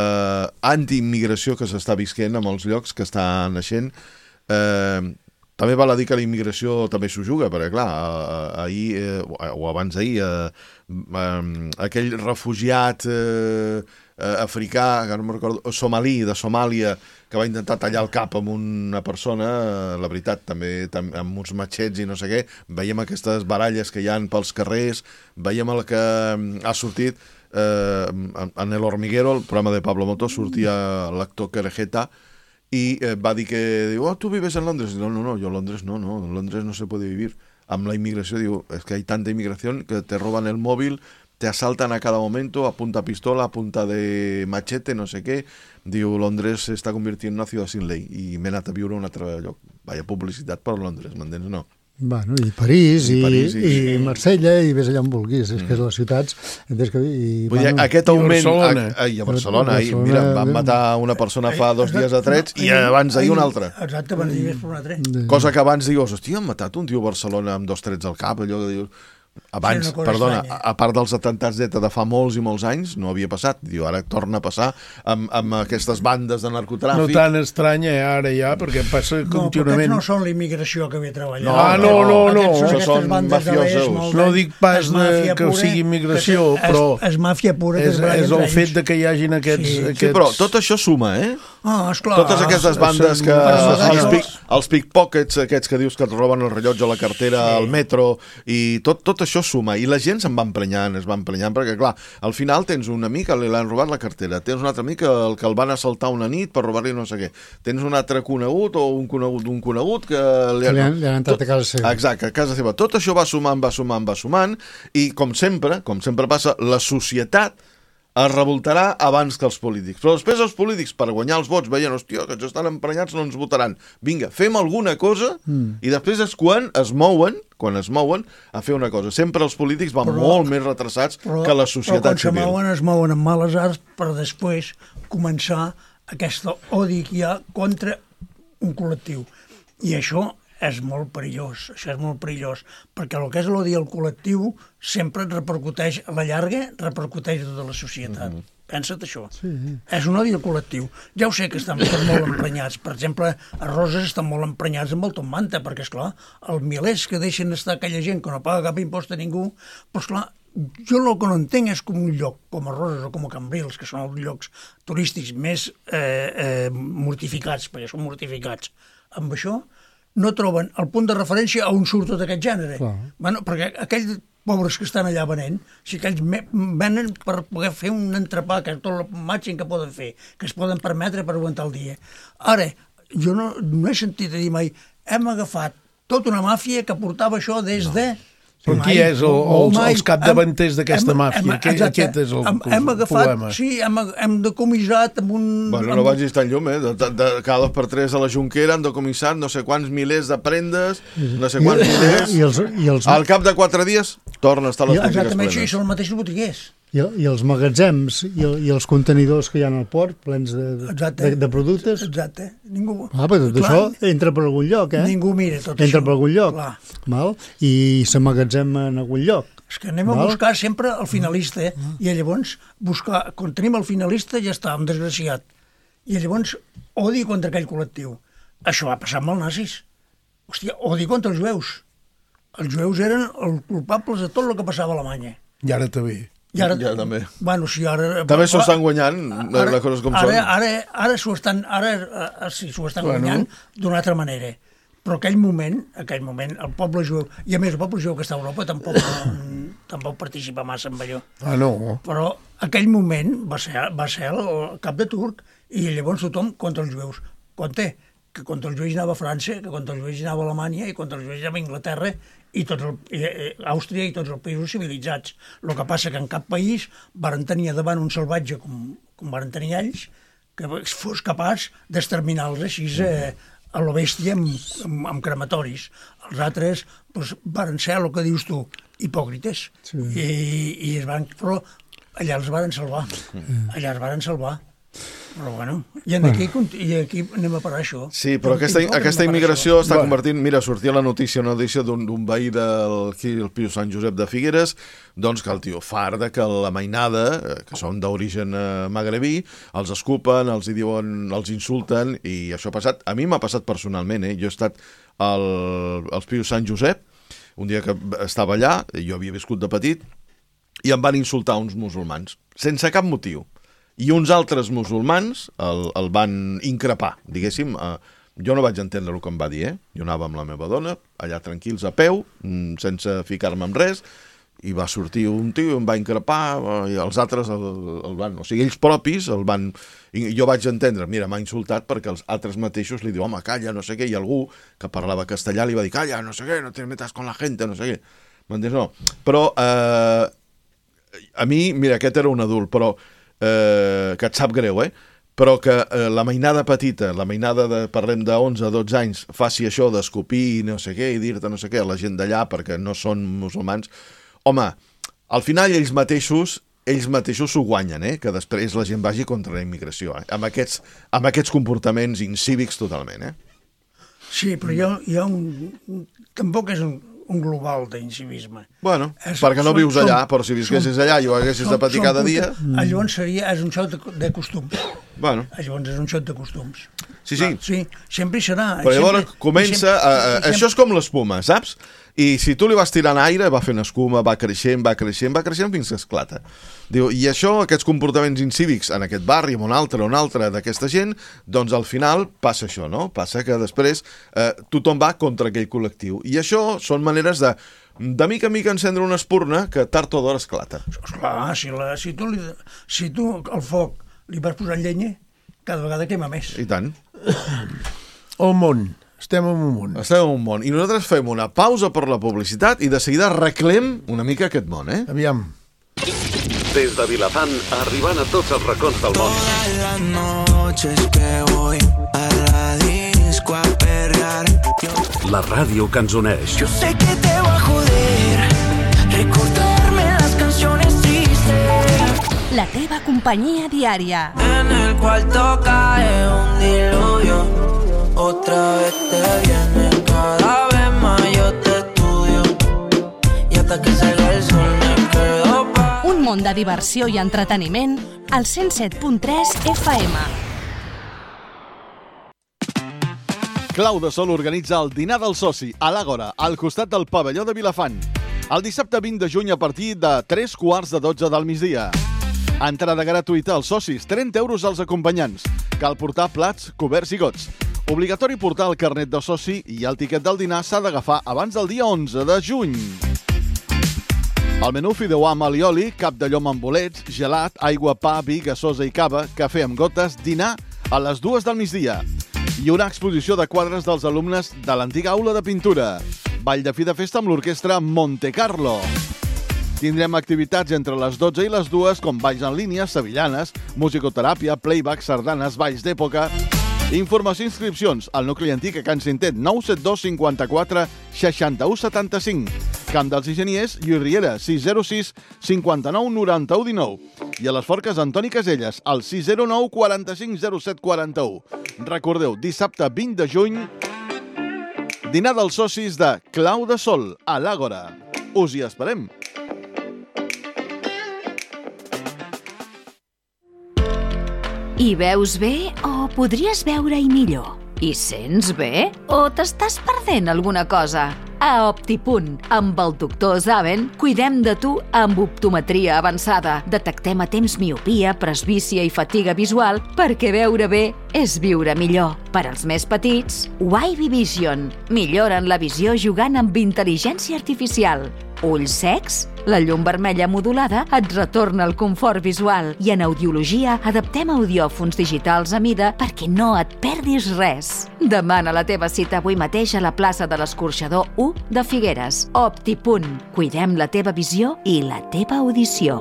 antiimmigració que s'està visquent a molts llocs que està naixent. Eh, també val a dir que la immigració també s'ho juga, perquè clar, ahir eh, o abans d'ahir eh, eh, aquell refugiat eh, eh, africà, que no me'n recordo, somalí, de Somàlia, que va intentar tallar el cap amb una persona, la veritat, també amb uns matxets i no sé què, veiem aquestes baralles que hi ha pels carrers, veiem el que ha sortit eh, en El Hormiguero, el programa de Pablo Moto, sortia l'actor Querejeta i eh, va dir que, diu, oh, tu vives en Londres? No, no, no, yo en Londres no, no, en Londres no se puede vivir. Amb la immigració, diu, és que hi ha tanta immigració que te roban el mòbil, te asaltan a cada momento, a punta pistola, a punta de machete, no sé què. Diu, Londres se està convirtiendo en una ciutat sin ley, i m'he anat a viure a un altre lloc. Vaya publicitat per Londres, m'entens o no? Bueno, i París, i, I, París, i, i, i Marsella, i vés allà on vulguis. Mm. És que les ciutats... És que, i, Vull dir, bueno, aquest augment... I Barcelona. A, a, a Barcelona, i mira, van matar una persona fa dos dies a trets i abans d'ahir una altra. Exacte, abans d'ahir per un altre. Cosa que abans dius, hòstia, han matat un tio a Barcelona amb dos trets al cap, allò que dius... Abans, Sí, una cosa perdona, estranya. a part dels atemptats d'ETA de fa molts i molts anys, no havia passat. Diu, ara torna a passar amb, amb aquestes bandes de No narcotràfic. tan estranya eh, ara ja, perquè passa No, però contínuament. aquests no són la immigració que ve treballant. No, Ah, no, no, no. Aquests Això aquestes són bandes de l'est, mafiosos. molt No bé. dic pas És de, màfia que pura, sigui immigració, que és- però És màfia pura. que és, es baralla és el entre fet ells. de que hi hagin aquests... Sí. Sí, aquests... Sí, però tot això suma, eh? Ah, esclar. Totes aquestes bandes que... Però Els, això- pic, els pickpockets, aquests que dius que et roben el rellotge a la cartera, Sí. al metro, i tot, tot això suma. I la gent se'n va emprenyant, es va emprenyant, perquè, clar, al final tens un amic que li l'han robat la cartera, tens un altre amic que el, que el van assaltar una nit per robar-li no sé què, tens un altre conegut o un conegut d'un conegut que... Li Que li han- li han entrat Tot- a casa seva. Exacte, a casa seva. Tot això va sumant, va sumant, va sumant, i com sempre, com sempre passa, la societat es revoltarà abans que els polítics. Però després els polítics, per guanyar els vots, veien, hòstia, que ens estan emprenyats, no ens votaran. Vinga, fem alguna cosa, mm. i després és quan es mouen, quan es mouen, a fer una cosa. Sempre els polítics van Però- molt més retrasats Però, que la però societat quan se civil. mouen, es mouen amb males arts per després començar aquest odi que hi ha contra un col·lectiu. I això és molt perillós, això és molt perillós, perquè el que és l'odi al col·lectiu sempre et repercuteix, a la llarga, repercuteix a tota la societat. Mm -hmm. Pensa't això. Sí. És un odi al col·lectiu. Ja ho sé que estan estan molt emprenyats. Per exemple, a Roses estan molt emprenyats amb el Tom Manta, perquè, esclar, els milers que deixen estar aquella gent que no paga cap impost a ningú, però, esclar, jo el que no entenc és com un lloc com a Roses o com a Cambrils, que són els llocs turístics més eh, eh, mortificats, perquè són mortificats, amb això no troben el punt de referència a on surt tot aquest gènere. Clar. Bueno, perquè aquells pobres que estan allà venent, si aquells me- venen per poder fer un entrepà, que és tot el màxim que poden fer, que es poden permetre per aguantar el dia. Ara, jo no, no he sentit a dir mai, hem agafat tota una màfia que portava això des de... Però Mai, qui és el, els, mai. els capdavanters d'aquesta Hem- màfia? hem- Aquest, exacte. aquest és el, hem, el hem agafat, problema. Sí, hem, hem decomissat amb un... Bueno, amb no vagis tan llum, eh? De, de, de, cada dos per tres a la Junquera han decomissat no sé quants milers de prendes, no sé quants milers... I els, i els, Al cap de quatre dies torna a estar a les I- botigues Exactament, això, i plenes. són els mateixos botiguers. i, i els magatzems i, el, i els contenidors que hi ha al port plens de, Exacte. de, de productes. Exacte. Ningú... Ah, però tot Clar, això entra per algun lloc, eh? Ningú mira tot Entra això. per algun lloc. Clar. Val? I s'emmagatzema en algun lloc. És que anem a Val? buscar sempre el finalista, eh? I llavors, buscar, quan tenim el finalista ja està, un desgraciat. I llavors, odi contra aquell col·lectiu. Això va passar amb els nazis. Hòstia, odi contra els jueus. Els jueus eren els culpables de tot el que passava a Alemanya. I ara també. I ara, Ja, també. Bueno, sí, ara... També s'ho estan guanyant, Ara- les coses com ara, són. Ara, ara s'ho estan, ara, eh, sí, s'ho estan Bueno. guanyant d'una altra manera. Però aquell moment, aquell moment, el poble jueu, i a més el poble jueu que està a Europa tampoc, no, tampoc participa massa en allò. Ah, no. Però aquell moment va ser, va ser el, el cap de turc i llavors tothom contra els jueus. Compte, que contra els jueus anava a França, que contra els jueus anava a Alemanya i contra els jueus anava a Inglaterra i tots el, i, i, Àustria i tots els països civilitzats. El que passa que en cap país varen tenir davant un salvatge com, com varen tenir ells que fos capaç d'exterminar-los així eh, a la bèstia amb, amb, amb crematoris. Els altres doncs, varen ser el que dius tu, hipòcrites. Sí. I, i es van, però allà els varen salvar. Allà els varen salvar. Però bueno, i aquí, i aquí anem a parar això. Sí, però aquesta, Anem a aquesta parar immigració això. està Bueno. convertint... Mira, sortia la notícia, una notícia d'un d'un veí del aquí, el Piu Sant Josep de Figueres, doncs que el tio far de que la mainada, eh, que són d'origen eh, magrebí, els escupen, els hi diuen, els insulten, i això ha passat... A mi m'ha passat personalment, eh? Jo he estat al, als Piu Sant Josep, un dia que estava allà, jo havia viscut de petit, i em van insultar uns musulmans, sense cap motiu. I uns altres musulmans el, el van increpar, diguéssim. Eh, jo no vaig entendre el que em va dir, eh? Jo anava amb la meva dona, allà tranquils a peu, mm, sense ficar-me en res, i va sortir un tio i em va increpar, eh, i els altres el, el van... O sigui, ells propis el van... I jo vaig entendre, mira, m'ha insultat perquè els altres mateixos li diu, home, calla, no sé què, i algú que parlava castellà li va dir, calla, no sé què, no te metas con la gente, no sé què. M'entens? No. Però... Eh, a mi, mira, aquest era un adult, però eh, que et sap greu, eh? Però que eh, la mainada petita, la mainada de, parlem de onze a dotze anys, faci això d'escopir i no sé què, i dir-te no sé què a la gent d'allà perquè no són musulmans, home, al final ells mateixos ells mateixos s'ho guanyen, eh? Que després la gent vagi contra la immigració, eh? Amb aquests, amb aquests comportaments incívics totalment, eh? Sí, però hi ha, hi ha un... Tampoc és un, un global d'incivisme. Bueno, és, perquè no són, vius allà, són, però si visquessis són, allà i ho haguessis de patir cada dia... Llavors seria, és un xoc de, de costums. Bueno. Llavors és un xoc de costums. Sí, sí. Sí, sempre hi serà. Però llavors sempre, comença... sempre, A, a, sempre... això és com l'espuma, saps? I si tu li vas tirant aire, va fent escuma, va creixent, va creixent, va creixent fins que esclata. Diu, i això, aquests comportaments incívics en aquest barri, en un altre, un altre d'aquesta gent, doncs al final passa això, no? Passa que després eh, tothom va contra aquell col·lectiu. I això són maneres de, de mica en mica encendre una espurna que tard o d'hora esclata. Esclar, si, la, si, tu li, si tu al foc li vas posar llenya, cada vegada quema més. I tant. El món. Estem en un món. Estem en un món. I nosaltres fem una pausa per la publicitat i de seguida arreglem una mica aquest món, eh? Aviam. Des de Vilafant, arribant a tots els racons del món. Todas las noches que voy a la disco a perrear. La ràdio que ens uneix. Yo sé que te va a joder recordarme las canciones tristes. La teva companyia diària. En el cuarto cae un diluvio. Otra vez te viene, cada vez más yo te estudio. Y hasta que salga el sol me quedo pa... Un món de diversió i entreteniment al cent set punt tres F M. Clau de Sol organitza el dinar del soci a l'Àgora, al costat del pavelló de Vilafant. El dissabte vint de juny a partir de tres quarts de dotze del migdia. Entrada gratuïta als socis, trenta euros als acompanyants. Cal portar plats, coberts i gots. Obligatori portar el carnet de soci i el tiquet del dinar s'ha d'agafar abans del dia onze de juny. El menú fideuà amb alioli, cap de llom amb bolets, gelat, aigua, pa, vi, gasosa i cava, cafè amb gotes, dinar a les dues del migdia. I una exposició de quadres dels alumnes de l'antiga aula de pintura. Ball de fi de festa amb l'orquestra Monte Carlo. Tindrem activitats entre les dotze i les dues com balls en línia, sevillanes, musicoteràpia, playback, sardanes, balls d'època... Informació i inscripcions al nucli antic a Can Cintet, nou set dos cinquanta-quatre seixanta-u setanta-cinc. Camp dels Enginyers, Lluís Riera, sis zero sis cinquanta-nou noranta-u dinou. I a les Forques, Antoni Caselles, al sis zero nou quaranta-cinc zero set quaranta-u. Recordeu, dissabte vint de juny, dinar dels socis de Clau de Sol, a l'Àgora. Us hi esperem. Hi veus bé o podries veure-hi millor? Hi sents bé o t'estàs perdent alguna cosa? A Optipunt, amb el doctor Zaven, cuidem de tu amb optometria avançada. Detectem a temps miopia, presbícia i fatiga visual perquè veure bé és viure millor. Per als més petits, Wavy Vision. Milloren la visió jugant amb intel·ligència artificial. Ulls secs? La llum vermella modulada et retorna el confort visual i en audiologia adaptem audiòfons digitals a mida perquè no et perdis res. Demana la teva cita avui mateix a la plaça de l'Escorxador u de Figueres. Optipunt. Cuidem la teva visió i la teva audició.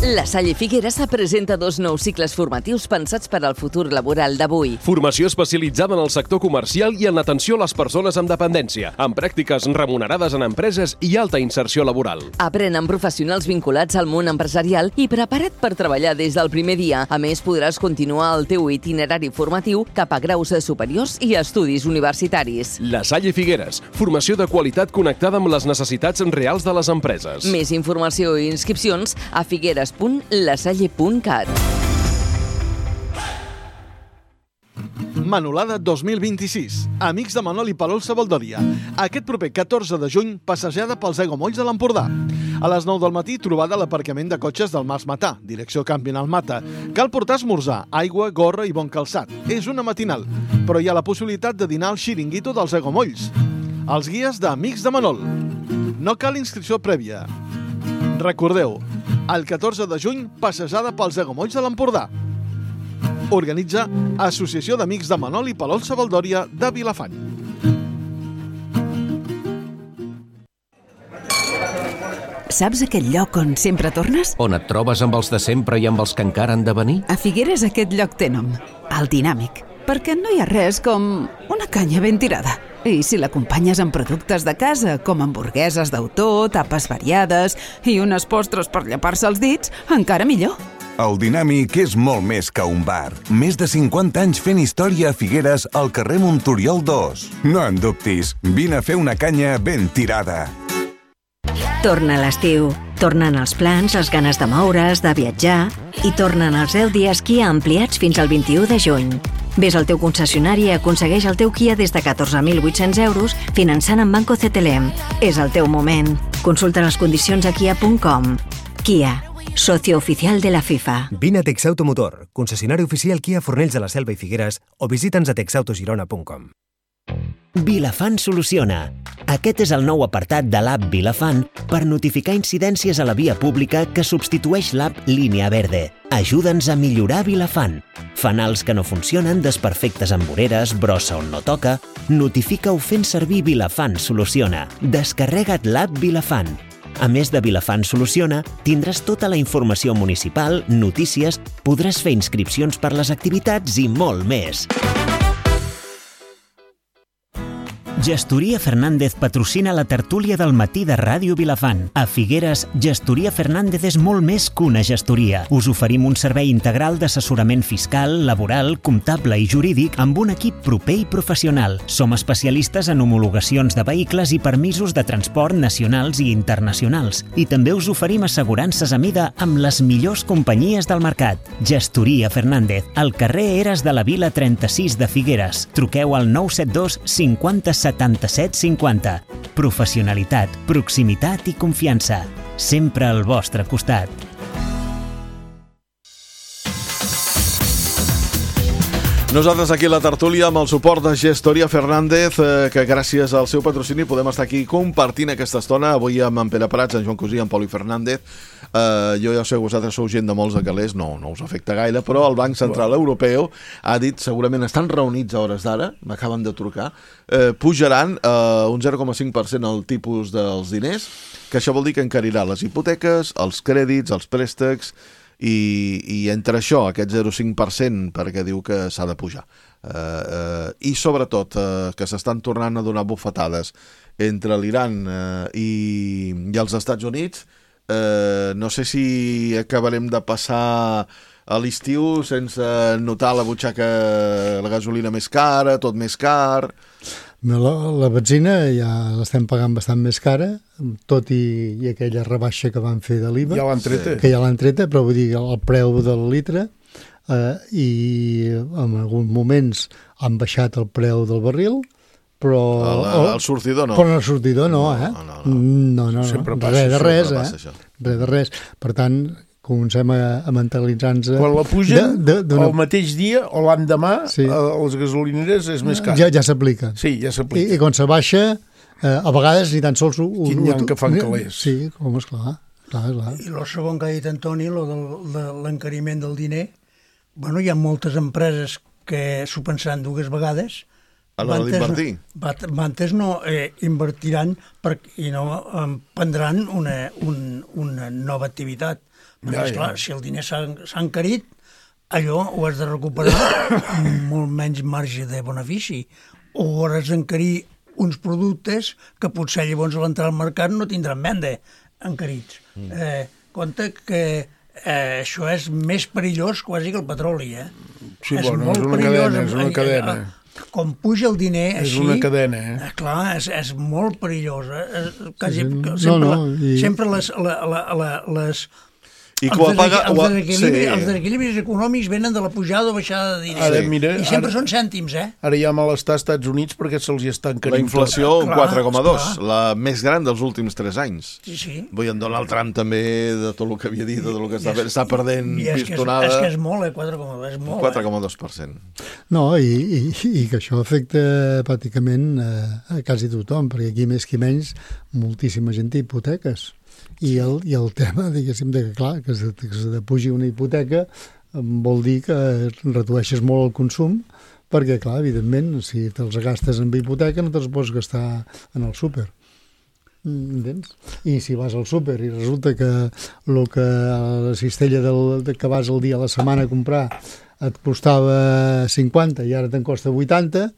La Salle Figueres presenta dos nous cicles formatius pensats per al futur laboral d'avui. Formació especialitzada en el sector comercial i en l'atenció a les persones amb dependència, amb pràctiques remunerades en empreses i alta inserció laboral. Aprèn amb professionals vinculats al món empresarial i prepara't per treballar des del primer dia. A més, podràs continuar el teu itinerari formatiu cap a graus superiors i estudis universitaris. La Salle Figueres, formació de qualitat connectada amb les necessitats reals de les empreses. Més informació i inscripcions a figueres punt lasalle punt cat. Manolada dos mil vint-i-sis. Amics de Manol i Palol Sabaldòria. Aquest proper catorze de juny, passejada pels aiguamolls de l'Empordà. A les nou del matí, trobada a l'aparcament de cotxes del Mas Matà, direcció Camping al Mata. Cal portar esmorzar, aigua, gorra i bon calçat. És una matinal, però hi ha la possibilitat de dinar al xiringuito dels aiguamolls. Els guies d'Amics de Manol. No cal inscripció prèvia. Recordeu, el catorze de juny, passejada pels aiguamolls de l'Empordà. Organitza Associació d'Amics de Manol i Palol Sabaldòria de Vilafant. Saps aquell lloc on sempre tornes? On et trobes amb els de sempre i amb els que encara han de venir? A Figueres aquest lloc té nom, el Dinàmic, perquè no hi ha res com una canya ben tirada. I si l'acompanyes amb productes de casa, com hamburgueses d'autor, tapes variades i unes postres per llepar-se els dits, encara millor. El Dinàmic és molt més que un bar. Més de cinquanta anys fent història a Figueres al carrer Montoriol dos. No en dubtis, vine a fer una canya ben tirada. Torna l'estiu. Tornen els plans, les ganes de moure's, de viatjar i tornen els deu dies Kia ampliats fins al vint-i-u de juny. Ves al teu concessionari i aconsegueix el teu Kia des de catorze mil vuit-cents euros finançant amb Banco C T L M. És el teu moment. Consulta les condicions a kia punt com. Kia, socio oficial de la FIFA. Vine a Texauto Motor, concessionari oficial Kia Fornells de la Selva i Figueres, o visita'ns a texautogirona punt com. Vilafant soluciona. Aquest és el nou apartat de l'app Vilafant per notificar incidències a la via pública que substitueix l'app Línia Verde. Ajuda'ns a millorar Vilafant. Fanals que no funcionen, desperfectes amb voreres, brossa on no toca... Notifica-ho fent servir Vilafant Soluciona. Descarrega't l'app Vilafant. A més de Vilafant Soluciona, tindràs tota la informació municipal, notícies, podràs fer inscripcions per les activitats i molt més. Gestoria Fernández patrocina la tertúlia del matí de Ràdio Vilafant. A Figueres, Gestoria Fernández és molt més que una gestoria. Us oferim un servei integral d'assessorament fiscal, laboral, comptable i jurídic amb un equip proper i professional. Som especialistes en homologacions de vehicles i permisos de transport nacionals i internacionals. I també us oferim assegurances a mida amb les millors companyies del mercat. Gestoria Fernández, al carrer Eres de la Vila trenta-sis de Figueres. Truqueu al nou set dos cinquanta setanta-set cinquanta. Professionalitat, proximitat i confiança. Sempre al vostre costat. Nosaltres aquí a la tertúlia amb el suport de Gestoria Fernández, eh, que gràcies al seu patrocini podem estar aquí compartint aquesta estona, avui amb en Pere Prats, en Joan Cosí, en Poli Fernández. Eh, jo ja sé que vosaltres sou gent de molts de calés, no, no us afecta gaire, però el Banc Central Europeu ha dit, segurament estan reunits a hores d'ara, m'acaben de trucar, eh, pujaran eh, un zero coma cinc per cent el tipus dels diners, que això vol dir que encarirà les hipoteques, els crèdits, els préstecs, I, i entre això, aquest zero coma cinc per cent, perquè diu que s'ha de pujar. Eh, eh, I sobretot eh, que s'estan tornant a donar bufetades entre l'Iran eh, i, i els Estats Units. Eh, no sé si acabarem de passar a l'estiu sense notar la butxaca, la gasolina més cara, tot més car... La, la benzina ja l'estem pagant bastant més cara, tot i, i aquella rebaixa que van fer de l'I V A. Ja l'han treta. Que ja l'han treta, però vull dir que el preu del litre eh, i en alguns moments han baixat el preu del barril, però... El, el, el sortidor no. Però el sortidor no, eh? No, no, no. no, no, sempre no. passa, res de res, sempre eh? passa això. Res de res. Per tant, comencem a, a mentalitzar-nos... Quan la pugen, de, de, el mateix dia o l'endemà, sí. a les gasolineres és més car. Ja, ja s'aplica. Sí, ja s'aplica. I, I quan se baixa, eh, a vegades ni tan sols... Un, Quin hi ha que fan calés. Sí, com esclar. Clar, clar. I el segon que ha dit Antoni, lo del, de l'encariment del diner, bueno, hi ha moltes empreses que s'ho pensaran dues vegades. A l'hora d'invertir. Bantes no eh, invertiran per, i no eh, prendran una, un, una nova activitat. Perquè, ja, esclar, ja. Si el diner s'ha encarit, allò ho has de recuperar amb molt menys marge de benefici. O has d'encarir uns productes que potser llavors a l'entrar al mercat no tindran venda encarits. Mm. Eh, compte que eh, això és més perillós quasi que el petroli, eh? Sí, és bueno, molt és una perillós, cadena, és una eh, cadena. Eh, com puja el diner és així... És una cadena, eh? eh clar, és, és molt perillós. Eh? Quasi, sí, sí. Sempre, no, no, i... sempre les... La, la, la, les I quan paga... Els desequilibris, sí. els desequilibris econòmics venen de la pujada o baixada de diners. Ara, mira, I sempre ara, són cèntims, eh? Ara hi ha malestar als Estats Units perquè se'ls està encarint. La inflació, un quatre coma dos, la més gran dels últims tres anys. Sí, sí. Vull en Donald Trump també, de tot el que havia dit, de tot el que està, és, està perdent pistonada. És que és molt, eh? quatre coma dos, és molt. quatre coma dos per cent. No, i, i, i que això afecta pràcticament a, a quasi tothom, perquè aquí més que menys moltíssima gent té hipoteques. I el, i el tema, diguéssim, de que, clar, que se, que se pugi una hipoteca vol dir que redueixes molt el consum, perquè, clar, evidentment, si te'ls gastes en hipoteca no te'ls pots gastar en el súper. Entens? I si vas al súper i resulta que el que la cistella del, que vas el dia a la setmana a comprar et costava cinquanta i ara te'n costa vuitanta,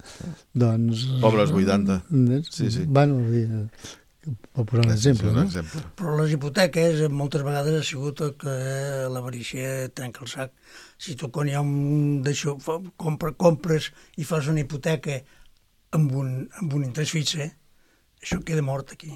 doncs... Pobres vuitanta. Entens? Sí, sí. Bueno, per posar un exemple, no? exemple. Però les hipoteques moltes vegades ha sigut que l'avarícia trenca el sac. Si tu quan hi ha un d'això, compra, compres i fas una hipoteca amb un, amb un interès fix, eh? Això queda mort aquí.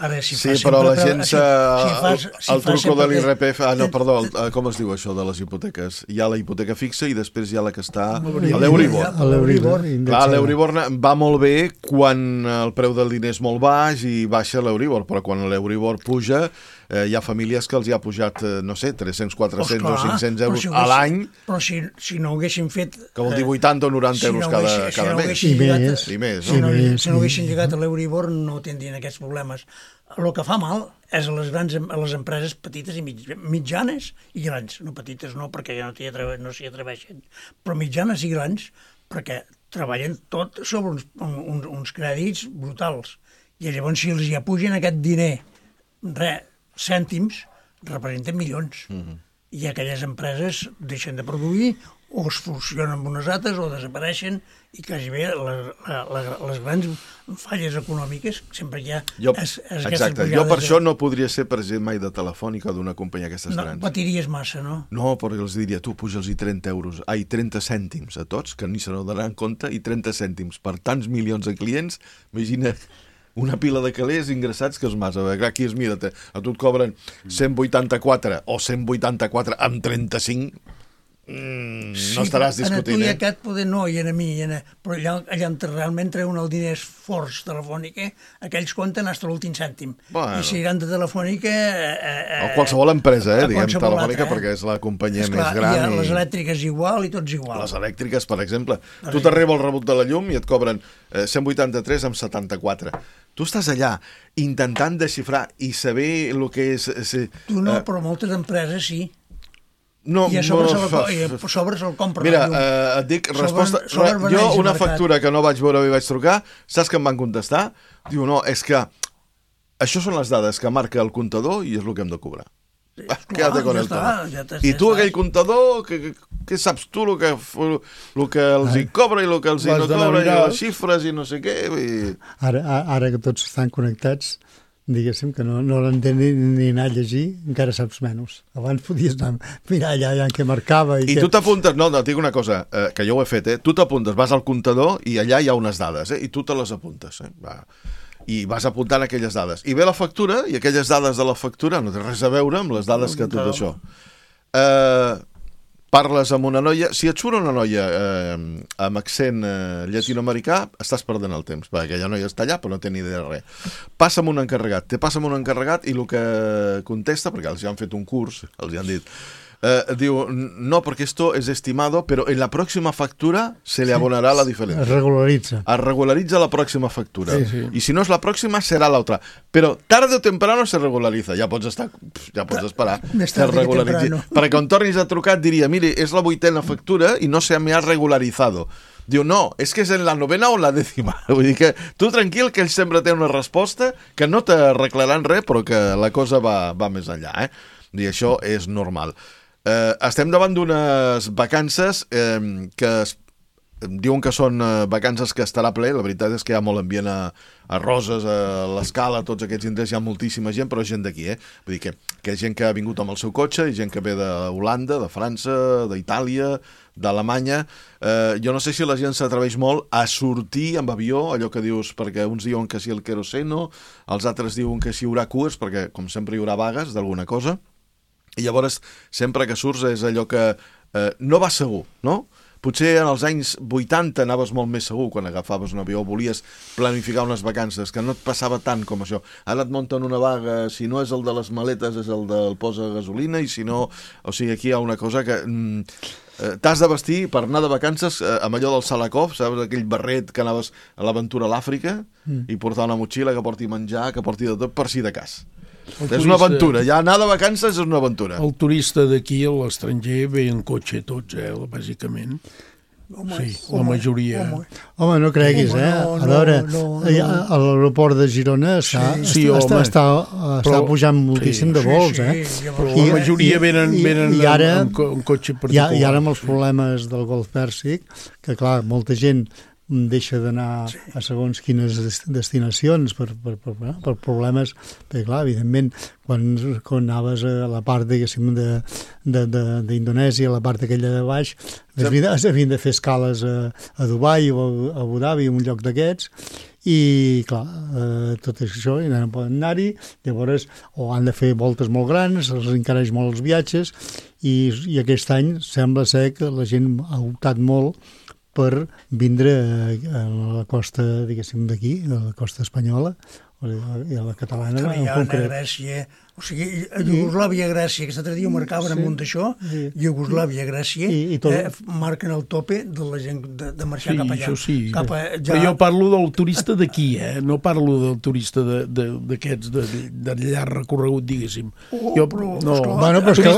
Ara, si sí, fas però la sempre, gent si, se... si fas, si el truco de l'I R P F... Ah, no, que... perdó, el, com es diu això de les hipoteques? Hi ha la hipoteca fixa i després hi ha la que està a l'Euribor. A l'Euribor. Clar, l'Euribor va molt bé quan el preu del diner és molt baix i baixa l'Euribor, però quan l'Euribor puja eh, hi ha famílies que els hi ha pujat, eh, no sé, tres-cents, quatre-cents pues clar, o cinc-cents euros si a l'any. Però si, si no ho haguessin fet... Que vol dir vuitanta o noranta si euros no cada, haguessin, cada si no mes. I més. Llegat, I més, si no? no, I si no haguessin llegat a l'Euribor no tindrien aquests problemes. El que fa mal és a les grans a les empreses petites i mitjanes i grans. No petites no, perquè ja no s'hi atreve, no atreveixen, però mitjanes i grans perquè treballen tot sobre uns, uns, uns crèdits brutals. I llavors si els hi apugen aquest diner, res, cèntims, representen milions. Mm-hmm. I aquelles empreses deixen de produir o es fusionen amb unes altres o desapareixen i quasi bé la, la, la, les grans falles econòmiques sempre hi ha... Jo, es, es exacte, jo per de... això no podria ser president mai de Telefònica o d'una companyia d'aquestes no, grans. No, patiries massa, no? No, perquè els diria, tu puja'ls-hi trenta euros, ai, trenta cèntims a tots, que ni se n'adonaran compte, i trenta cèntims per tants milions de clients, imagina... una pila de calés ingressats que és massa. Aquí es mira, a tu et cobren cent vuitanta-quatre o cent vuitanta-quatre amb trenta-cinc, mm, sí, no estaràs discutint. En a tu i eh? aquest poder no, i en a mi, i en a... però allà, allà on realment treuen el diners forts telefònica, aquells compten fins a l'últim cèntim. Bueno. I si eren de telefònica... Eh, eh, o qualsevol empresa, eh, diguem, telefònica, eh? perquè és la companyia Esclar, més gran. I... I... les elèctriques igual i tots igual. Les elèctriques, per exemple. Per tu t'arriba el rebut de la llum i et cobren eh, cent vuitanta-tres amb setanta-quatre. Tu estàs allà intentant desxifrar i saber el que és... és tu no, eh... però moltes empreses sí. No, I a sobre, no, se'l fa... sobre se'l compra. Mira, eh, et dic, resposta... Sobre, sobre jo, una factura que no vaig veure i vaig trucar, saps que em van contestar? Diu, no, és que això són les dades que marca el comptador i és el que hem de cobrar. Sí, ah, quédate con ja el està, ja I tu, aquell comptador, que, que saps tu el que, el que els hi cobra i el que els hi no cobra, i les xifres i no sé què... I... Ara, ara que tots estan connectats, diguéssim que no, no l'entén ni, ni anar a llegir, encara saps menys. Abans podies anar a mirar allà, allà què marcava. I, I que... tu t'apuntes, no, no, et dic una cosa, eh, que jo ho he fet, eh? Tu t'apuntes, vas al comptador i allà hi ha unes dades, eh? I tu te les apuntes, eh? Va. I vas apuntant aquelles dades. I ve la factura, i aquelles dades de la factura no té res a veure amb les dades que tot això. Eh, parles amb una noia, si et surt una noia eh, amb accent eh, llatinoamericà, estàs perdent el temps, perquè aquella noia està allà però no té ni idea de res. Passa amb un encarregat, te passa amb un encarregat i el que contesta, perquè els han fet un curs, els han dit, eh, diu, no, perquè esto es estimado, pero en la próxima factura se le abonará la diferencia. Es regularitza. Es regularitza la próxima factura. Sí, sí. Y si no es la próxima, será la otra. Pero tarde o temprano se regulariza. Ja pots estar, ja pots esperar que es regularitzi. Perquè quan tornis a trucar et diria, mire, és la vuitena factura i no se me ha regularizado. Diu, no, és que és en la novena o en la dècima. Vull dir que tu tranquil, que ell sempre té una resposta que no t'arreglaran res, però que la cosa va, va més enllà. Eh? I això és normal. Eh, estem davant d'unes vacances eh, que es, diuen que són eh, vacances que estarà ple. La veritat és que hi ha molt ambient a, a Roses, a l'Escala, a tots aquests indrets, hi ha moltíssima gent, però gent d'aquí, eh? Vull dir que, que hi ha gent que ha vingut amb el seu cotxe, i gent que ve d'Holanda, de França, d'Itàlia, d'Alemanya. Eh, jo no sé si la gent s'atreveix molt a sortir amb avió, allò que dius, perquè uns diuen que sí el queroseno, els altres diuen que sí hi haurà cues, perquè com sempre hi haurà vagues d'alguna cosa. I llavors, sempre que surts és allò que eh, no va segur, no? Potser en els anys vuitanta anaves molt més segur quan agafaves un avió, volies planificar unes vacances, que no et passava tant com això. Ara et munten una vaga, si no és el de les maletes és el del posa gasolina, i si no... O sigui, aquí hi ha una cosa que... Mm, eh, t'has de vestir per anar de vacances eh, amb allò del Salakov, saps? Aquell barret que anaves a l'aventura a l'Àfrica, mm. i portar una motxilla que porti menjar, que porti de tot, per si de cas. El és turista, una aventura, ja anar de vacances és una aventura. El turista d'aquí, a l'estranger, ve en cotxe tots, eh, bàsicament. Home, sí, la majoria. Home, home no creguis, home, eh? no, A veure, no, no, no. a l'aeroport de Girona està, sí, sí, està, home, està, està però, pujant moltíssim sí, de vols, sí, eh? sí, però I, la majoria i, venen, i, venen i ara, amb, amb, amb cotxe particular. I, I ara amb els problemes del Golf Pèrsic, que clar, molta gent deixa d'anar sí. a segons quines destinacions per, per, per, per problemes, perquè clar, evidentment, quan, quan anaves a la part, diguéssim, d'Indonèsia, a la part aquella de baix, es havien, es havien de fer escales a, a Dubai o a Abu Dhabi, un lloc d'aquests, i clar, eh, tot això i no poden anar-hi, llavors o han de fer voltes molt grans, els encareix molt els viatges, i, i aquest any sembla ser que la gent ha optat molt per vindre a la costa, diguéssim, d'aquí, a la costa espanyola, i a la catalana en concret. A Grècia, o sigui, a Iugoslàvia, Grècia, aquesta altre dia ho marcaven amunt d'això, Iugoslàvia, Grècia, eh, marquen el tope de la gent de, de marxar sí, cap allà. Sí, cap a, ja... Però jo parlo del turista d'aquí, eh? No parlo del turista d'aquests de, de, de, de llarg recorregut, diguéssim. Oh, jo, però, no, esclar, bueno, però és que,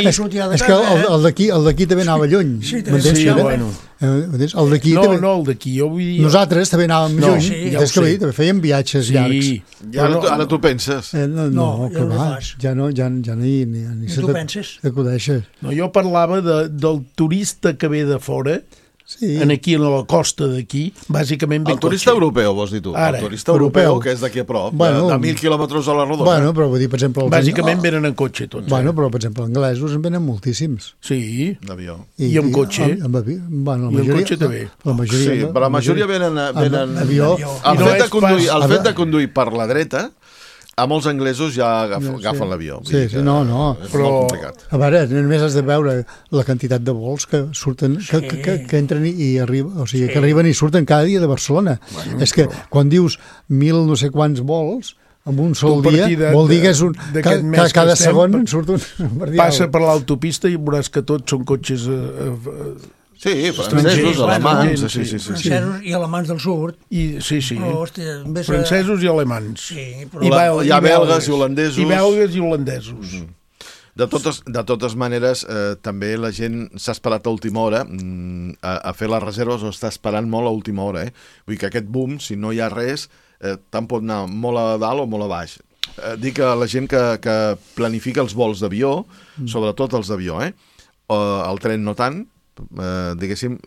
és, és, és que el, el d'aquí el d'aquí també anava lluny. Sí, sí, sí bueno. El d'aquí no, també... no, el d'aquí, jo vull dir... Nosaltres també anàvem no, lluny, sí, ja és que dir, també fèiem viatges sí. llargs. I ara, tu, ara tu penses? Eh, no, no, no, que va, ja no, ja, ja ni, ni, ni, ni tu penses? T'acudeixes. No, jo parlava de, del turista que ve de fora, sí. En aquí, a la costa d'aquí, bàsicament ve el turista cotxe. Europeu, vols dir tu? Ara, el turista europeu, europeu, que és d'aquí a prop, bueno, de, de mil quilòmetres a la rodona. Bueno, però vull dir, per exemple... Bàsicament oh. venen en cotxe tots. Bueno, eh? però per exemple, anglesos en venen moltíssims. Sí. D'avió. I, I amb cotxe. I amb, amb, bueno, la I majoria, amb cotxe també. La majoria, sí, però la majoria venen... venen amb avió. El, fet, de conduir, el fet de conduir per la dreta, a molts anglesos ja agafen, agafen sí. l'avió. Sí, sí, no, no. És però, molt complicat. A veure, només has de veure la quantitat de vols que surten, sí. que, que, que, que entren i arriben, o sigui, sí. que arriben i surten cada dia de Barcelona. Bueno, és que però... quan dius mil no sé quants vols, en un sol dia, de, vol dir que és un... Que, que cada segon en surt un... Passa per l'autopista i veuràs que tots són cotxes... Eh, eh, Sí, francesos, alemans, sí, sí, sí, sí. Francesos i alemans del sud. I, sí, sí. Però, hòstia, francesos i alemans. Sí, però... I, bel hi ha belgues i holandesos. I belgues i holandesos. Mm -hmm. De totes, de totes maneres, eh, també la gent s'ha esperat a última hora mm, a, a fer les reserves, o està esperant molt a última hora. Eh? Vull dir que aquest boom, si no hi ha res, eh, tant pot anar molt a dalt o molt a baix. Eh, dic a la gent que, que planifica els vols d'avió, mm. sobretot els d'avió, eh? o el tren no tant, Uh, diguéssim,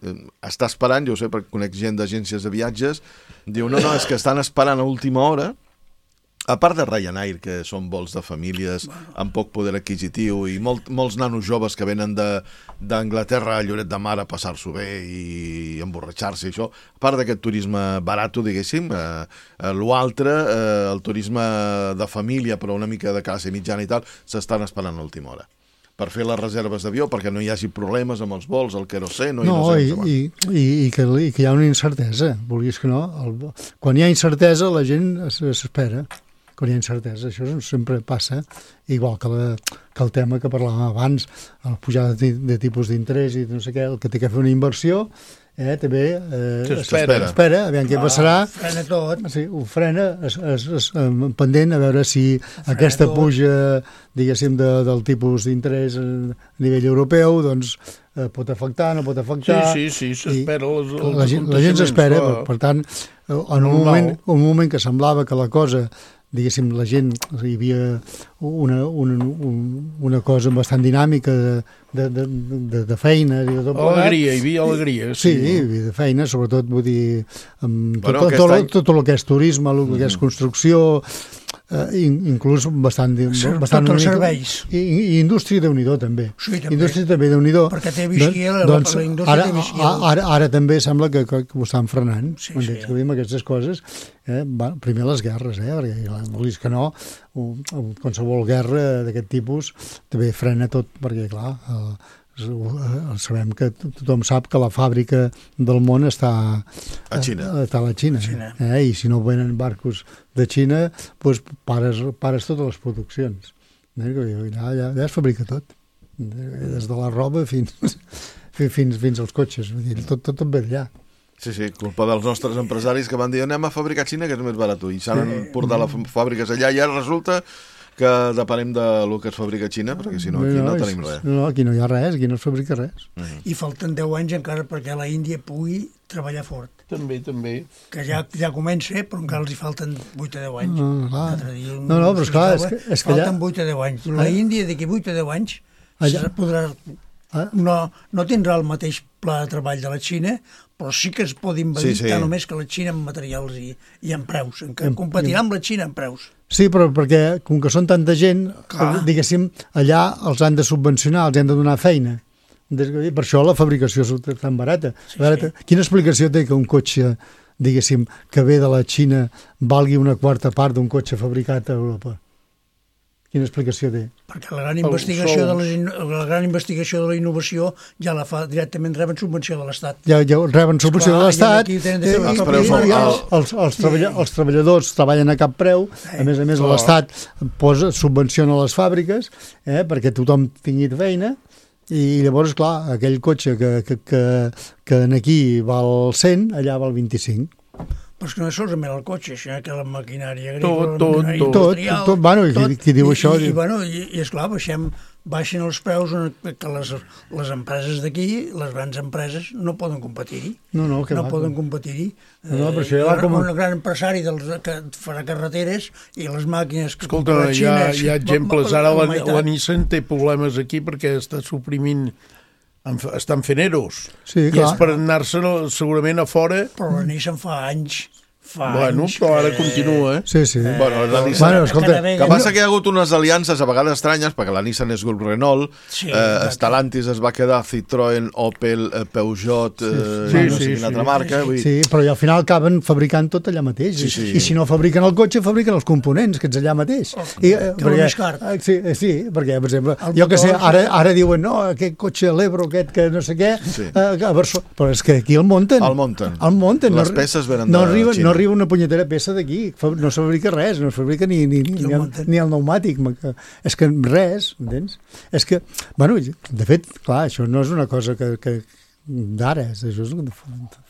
està esperant, jo ho sé perquè conec gent d'agències de viatges, diu, no, no, és que estan esperant a última hora, a part de Ryanair, que són vols de famílies bueno. amb poc poder adquisitiu i molt, molts nanos joves que venen d'Anglaterra a Lloret de Mar a passar-s'ho bé i emborratxar-se i això, a part d'aquest turisme barato, diguéssim, eh, eh, l'altre, eh, el turisme de família però una mica de classe mitjana i tal, s'estan esperant a última hora per fer les reserves d'avió, perquè no hi hagi problemes amb els vols, el querosè, no, no, no sé. I, i, i, i, que, I que hi ha una incertesa, vulguis que no. El, quan hi ha incertesa, la gent s'espera. Quan hi ha incertesa, això sempre passa, igual que, la, que el tema que parlàvem abans, la pujada de, de tipus d'interès i no sé què, el que té que fer una inversió, eh, també eh, s'espera, espera, aviam què passarà. Ah, frena tot. Sí, ho frena, es, es, es, pendent a veure si frena aquesta tot. Puja, diguéssim, de, del tipus d'interès a nivell europeu, doncs eh, pot afectar, no pot afectar. Sí, sí, sí, s'espera. La, la gent s'espera, per, per tant, en un moment, un moment que semblava que la cosa, diguéssim, la gent, hi havia una, una, una cosa bastant dinàmica de, de, de, de, de feina i de tot plegat. Alegria, hi havia alegria. Sí, sí, hi havia de feina, sobretot, vull dir, amb bueno, tot, tot, any... tot, tot el que és turisme, el que és construcció, eh, inclús bastant... bastant tots els serveis. I, i indústria déu-n'hi-do, també. Sí, també. Indústria també déu-n'hi-do. Perquè té visquia, la, doncs, la indústria ara, té visquia. Ara, ara també sembla que, que, que ho estan frenant, sí, quan sí. descobrim aquestes coses. Eh? Va, primer les guerres, eh? perquè volis que no, qualsevol guerra d'aquest tipus també frena tot, perquè clar, el, el, sabem que tothom sap que la fàbrica del món està a Xina, està a la Xina, Xina. Eh? I si no venen barcos de Xina, doncs pares, pares totes les produccions. Eh? Allà, allà, allà es fabrica tot, des de la roba fins, fins, fins als cotxes, tot, tot, tot ve allà. Sí, sí, culpa dels nostres empresaris que van dir anem a fabricar a Xina, que és més barat, i s'han portat les fàbriques allà i ara resulta que depenem del que es fabrica a Xina, perquè si no aquí no, no tenim res. No, aquí no hi ha res, aquí no es fabrica res. Mm. I falten deu anys encara perquè la Índia pugui treballar fort. També, també. Que ja, ja comença, però encara els hi falten vuit a deu anys. No, no, no, però esclar, és que, és que falten allà... vuit a deu anys. La Índia d'aquí vuit a deu anys allà... podrà... No, no tindrà el mateix pla de treball de la Xina, però sí que es pot invadir sí, sí. tant només que la Xina en materials i, i en preus, en que competirà amb la Xina en preus. Sí, però perquè com que són tanta gent, Clar. diguéssim, allà els han de subvencionar, els han de donar feina. Per això la fabricació és tan barata. Sí, barata. Sí. Quina explicació té que un cotxe, diguéssim, que ve de la Xina valgui una quarta part d'un cotxe fabricat a Europa? Quina explicació té? Perquè la gran investigació, de la, la gran investigació de la innovació ja la fa directament, reben subvenció de l'Estat. Ja, ja reben subvenció Esclar, de l'Estat, i, i, els, i, els, els, els, treballa, els treballadors treballen a cap preu, a més a més oh. l'Estat posa, subvenciona les fàbriques eh, perquè tothom tingui feina, i llavors, clar, aquell cotxe que, que, que, que aquí val cent, allà val vint-i-cinc. Però és que no és solament el cotxe, sinó que la maquinària tot, agrícola, tot, la maquinària tot, industrial... Tot, tot, bueno, i qui, qui diu i, això... I, i, bueno, i, i esclar, baixem, baixen els preus que les, les empreses d'aquí, les grans empreses, no poden competir-hi. No, no, que no va, poden competir-hi. No, no, però això ja va com... Un gran empresari dels, que farà carreteres i les màquines que Escolta, hi ha, hi ha exemples. Ara la, la Nissan té problemes aquí perquè està suprimint... estan fent eros. Sí, I és per anar-se segurament a fora. Però la Nissan fa anys... Fa bueno, anys però ara que... continua, eh? Sí, sí. Eh, bueno, la Nissan... Bueno, escolta, que passa que hi ha hagut unes aliances a vegades estranyes, perquè la Nissan és grup Renault, sí, eh, Stellantis es va quedar Citroën, Opel, eh, Peugeot, eh, sí, no sí, sé sí, quina altra sí, marca. Sí, vull... sí, però al final acaben fabricant tot allà mateix. Sí, sí. I si no fabriquen el cotxe, fabriquen els components, que ets allà mateix. Oh, I, eh, que perquè, més car. Sí, sí, perquè, per exemple, el jo que sé, motor, ara, ara diuen, no, aquest cotxe l'Ebro, aquest que no sé què, sí. eh, a Barcelona, però és que aquí el munten. El munten. El munten. Les no, peces venen no de arriba, Xina. No arriba una punyetera peça d'aquí, no se fabrica res, no es fabrica ni, ni, ni, ni, el, ni el pneumàtic. És que res, entens? És que, bueno, de fet, clar, això no és una cosa que, que d'ara, això és,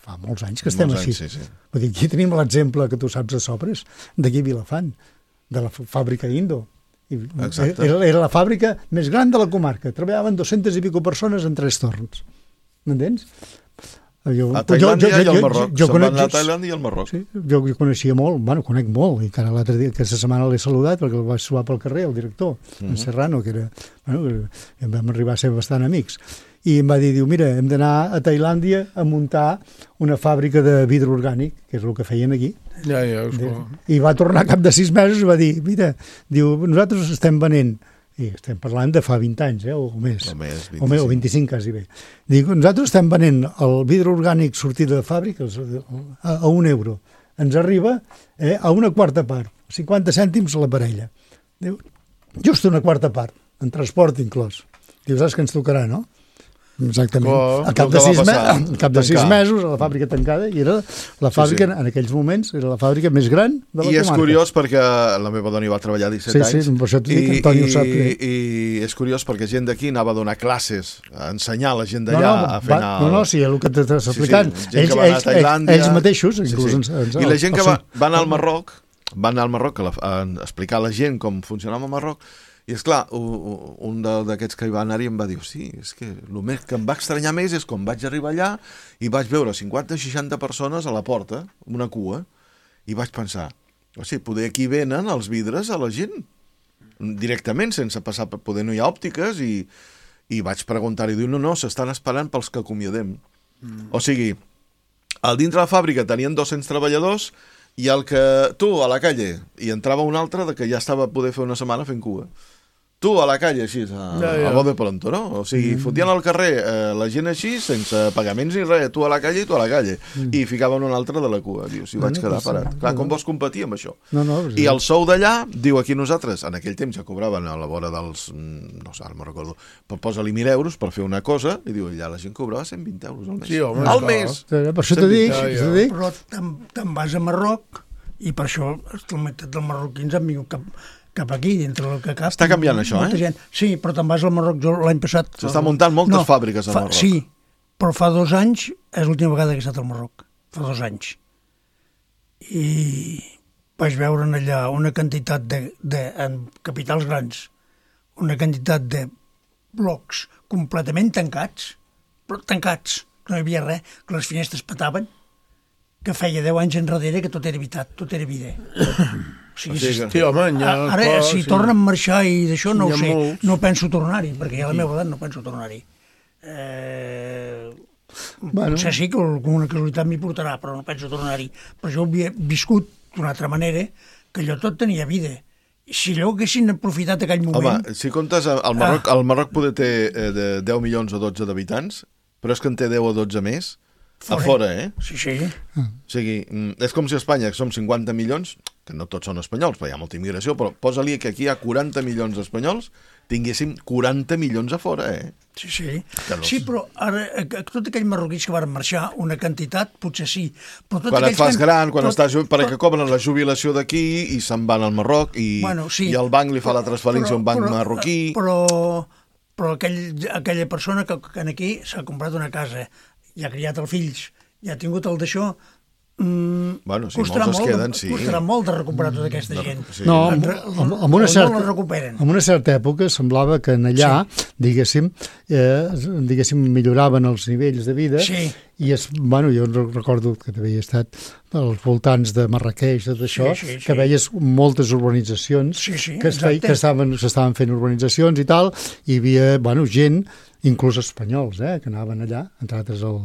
fa molts anys que estem molts així. Anys, sí, sí. Vull dir, aquí tenim l'exemple que tu saps a Sobres, d'aquí a Vilafant, de la fàbrica Indo. I era, era la fàbrica més gran de la comarca. Treballaven dues-centes i pico persones en tres torns. M'entens? Jo, a Tailàndia jo, jo, jo, i al Marroc. Jo, jo Se'n conec, van a Tailàndia i al Marroc. Sí, jo, jo coneixia molt, bueno, conec molt, i encara l'altre dia, aquesta setmana l'he saludat perquè el vaig trobar pel carrer, el director, uh-huh. en Serrano, que era, bueno, que vam arribar a ser bastant amics. I em va dir, diu, mira, hem d'anar a Tailàndia a muntar una fàbrica de vidre orgànic, que és el que feien aquí. Ja, ja, esclar. I va tornar a cap de sis mesos i va dir, mira, diu, nosaltres estem venent, i estem parlant de fa vint anys, eh, o més, o més, vint-i-cinc. O, més, o vint-i-cinc quasi bé. Dic, nosaltres estem venent el vidre orgànic sortit de fàbrica a, a un euro. Ens arriba eh, a una quarta part, cinquanta cèntims a la parella. Diu, just una quarta part, en transport inclòs. Diu, saps que ens tocarà, no? Exactament. Oh, a cap de, sis, me a cap de sis mesos a la fàbrica tancada i era la fàbrica, sí, sí. en aquells moments, era la fàbrica més gran de la I comarca. és curiós perquè la meva dona hi va treballar disset sí, anys. Sí, per això t'ho dic, Antoni ho sap. I, I és curiós perquè gent d'aquí anava a donar classes, a ensenyar la gent d'allà no, no, a fer anar... No, no, sí, el que t'estàs explicant. Sí, sí, ells, ells, ells, ells mateixos, inclús... Sí, sí. Ens, ens, I la gent que o sigui, va, va anar al Marroc, va anar al Marroc a, la, a explicar a la gent com funcionava el Marroc. I esclar, un d'aquests que hi va anar-hi em va dir, sí, és que el més que em va estranyar més és quan vaig arribar allà i vaig veure cinquanta o seixanta persones a la porta, una cua, i vaig pensar, o sigui, poder aquí venen els vidres a la gent, directament, sense passar per poder, no hi ha òptiques, i, i vaig preguntar-hi, diu, no, no, s'estan esperant pels que acomiadem. Mm. O sigui, al dintre de la fàbrica tenien dos-cents treballadors i el que tu a la calle, i entrava un altre de que ja estava a poder fer una setmana fent cua. Tu a la calle, així, a, ja, ja. a bo de pronto, no? O sigui, mm. fotien al carrer eh, la gent així, sense pagaments ni res, tu a la calle i tu a la calle. Mm. I ficaven un altre de la cua, diu, si no, vaig quedar parat. Clar, com vols competir amb això? No, no, I el sou d'allà, diu aquí nosaltres, en aquell temps ja cobraven a la vora dels, no sé, no me'n recordo, però posa-li mil euros per fer una cosa, i diu, allà la gent cobrava cent vint euros al mes. Sí, home, al mes! Per això t'ho dic, t'ho dic. Però te'n vas a Marroc, i per això la meitat dels marroquins han vingut cap... cap aquí, dintre del que cap. Està canviant això, eh? Gent. Sí, però te'n vas al Marroc, jo l'any passat... S'estan muntant moltes no, fàbriques al fa, Marroc. Sí, però fa dos anys és l'última vegada que he estat al Marroc. Fa dos anys. I vaig veure allà una quantitat de, de, en capitals grans, una quantitat de blocs completament tancats, però tancats, que no hi havia res, que les finestres petaven, que feia deu anys enrere que tot era veritat, tot era vida. O sigui, sí, sí, home, ja, ara, clar, si sí. tornen a marxar i d'això no ho sé, molts. no penso tornar-hi, perquè a la meva edat no penso tornar-hi. Eh, bueno. Potser sí que alguna casualitat m'hi portarà, però no penso tornar-hi. Però jo havia viscut d'una altra manera, que allò tot tenia vida. Si allò haguessin aprofitat aquell moment... Home, si comptes, el Marroc, ah. el Marroc poder té eh, de deu milions o dotze d'habitants, però és que en té deu o dotze més, fora. A fora, eh? Sí, sí. O sigui, és com si a Espanya, que som cinquanta milions, que no tots són espanyols, però hi ha molta immigració, però posa-li que aquí hi ha quaranta milions d'espanyols, tinguéssim quaranta milions a fora, eh? Sí, sí. No... Sí, però ara, tot aquells marroquins que van marxar, una quantitat, potser sí. Però tot quan et fas que... gran, quan tot... estàs... perquè cobren la jubilació d'aquí i se'n van al Marroc i, bueno, sí. i el banc li fa la transferència a un banc però, marroquí. Però, però aquell, aquella persona que, que aquí s'ha comprat una casa i ha criat els fills i ha tingut el d'això, Mm, bueno, si molts es queden, sí. Costarà molt de recuperar tota aquesta no, gent. Sí. No, en, en, en, una certa, en una certa època semblava que en allà, sí. diguéssim, eh, diguéssim, milloraven els nivells de vida, sí. i es, bueno, jo recordo que havia estat als voltants de Marrakeix, tot això, sí, sí, sí. que veies moltes urbanitzacions sí, sí, que, es feia, que estaven, s'estaven fent urbanitzacions i tal, i hi havia, bueno, gent, inclús espanyols, eh, que anaven allà, entre altres el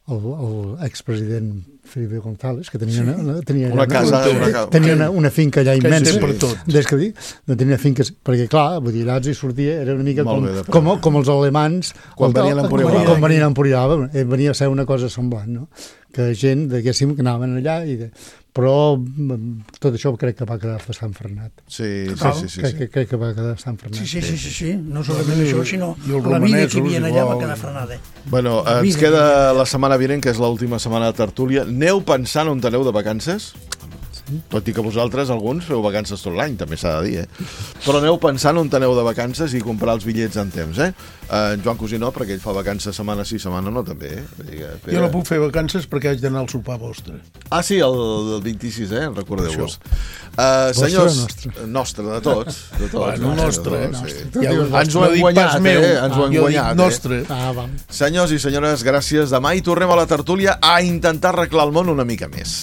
l'expresident Felipe González, que tenia, sí. una, tenia, una, casa, una, una, tenia una, una finca allà immensa. Per tot. Des que dic, no tenia finques, perquè clar, vull dir, allà hi sortia, era una mica com, bé, com, com els alemans quan venien a Empurià. Quan venien a Empurià, venia a ser una cosa semblant, no? Que gent, diguéssim, que anaven allà i... De, però tot això crec que va quedar bastant frenat. Sí, sí, sí. sí, crec, sí. crec que va quedar bastant frenat. Sí, sí, sí, sí, sí. No solament això, sinó la vida que hi havia allà va quedar frenada. Bueno, ens queda la setmana vinent, que és l'última setmana de tertúlia. Aneu pensant on aneu de vacances? Tot i que vosaltres, alguns, feu vacances tot l'any, també s'ha de dir, eh? Però aneu pensant on aneu de vacances i comprar els bitllets en temps, eh? Uh, en Joan Cosí no, perquè ell fa vacances setmana sí, setmana no, també. Eh? Jo no puc fer vacances perquè haig d'anar al sopar vostre. Ah, sí, el, el vint-i-sis, eh? Recordeu-vos. Uh, senyors, nostre? nostre, de tots. De tots bueno, nostre. nostre, sí. nostre. Ja, ens ho hem guanyat, meu. eh? Ens ho hem jo guanyat, dic nostre. Eh? Ah, vam. Senyors i senyores, gràcies. Demà hi tornem a la tertúlia a intentar arreglar el món una mica més.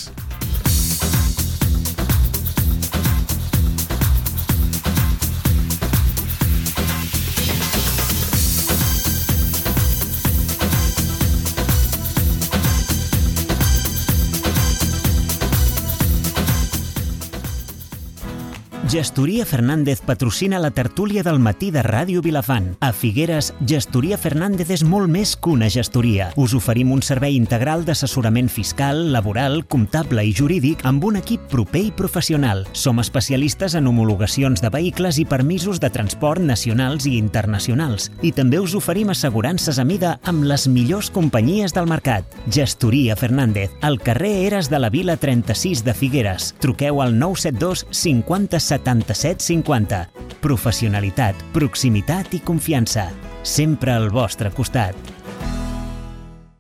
Gestoria Fernández patrocina la tertúlia del matí de Ràdio Vilafant. A Figueres, Gestoria Fernández és molt més que una gestoria. Us oferim un servei integral d'assessorament fiscal, laboral, comptable i jurídic amb un equip proper i professional. Som especialistes en homologacions de vehicles i permisos de transport nacionals i internacionals. I també us oferim assegurances a mida amb les millors companyies del mercat. Gestoria Fernández, al carrer Eres de la Vila trenta-sis de Figueres. Truqueu al nou set dos cinquanta setanta-set cinquanta. Professionalitat, proximitat i confiança. Sempre al vostre costat.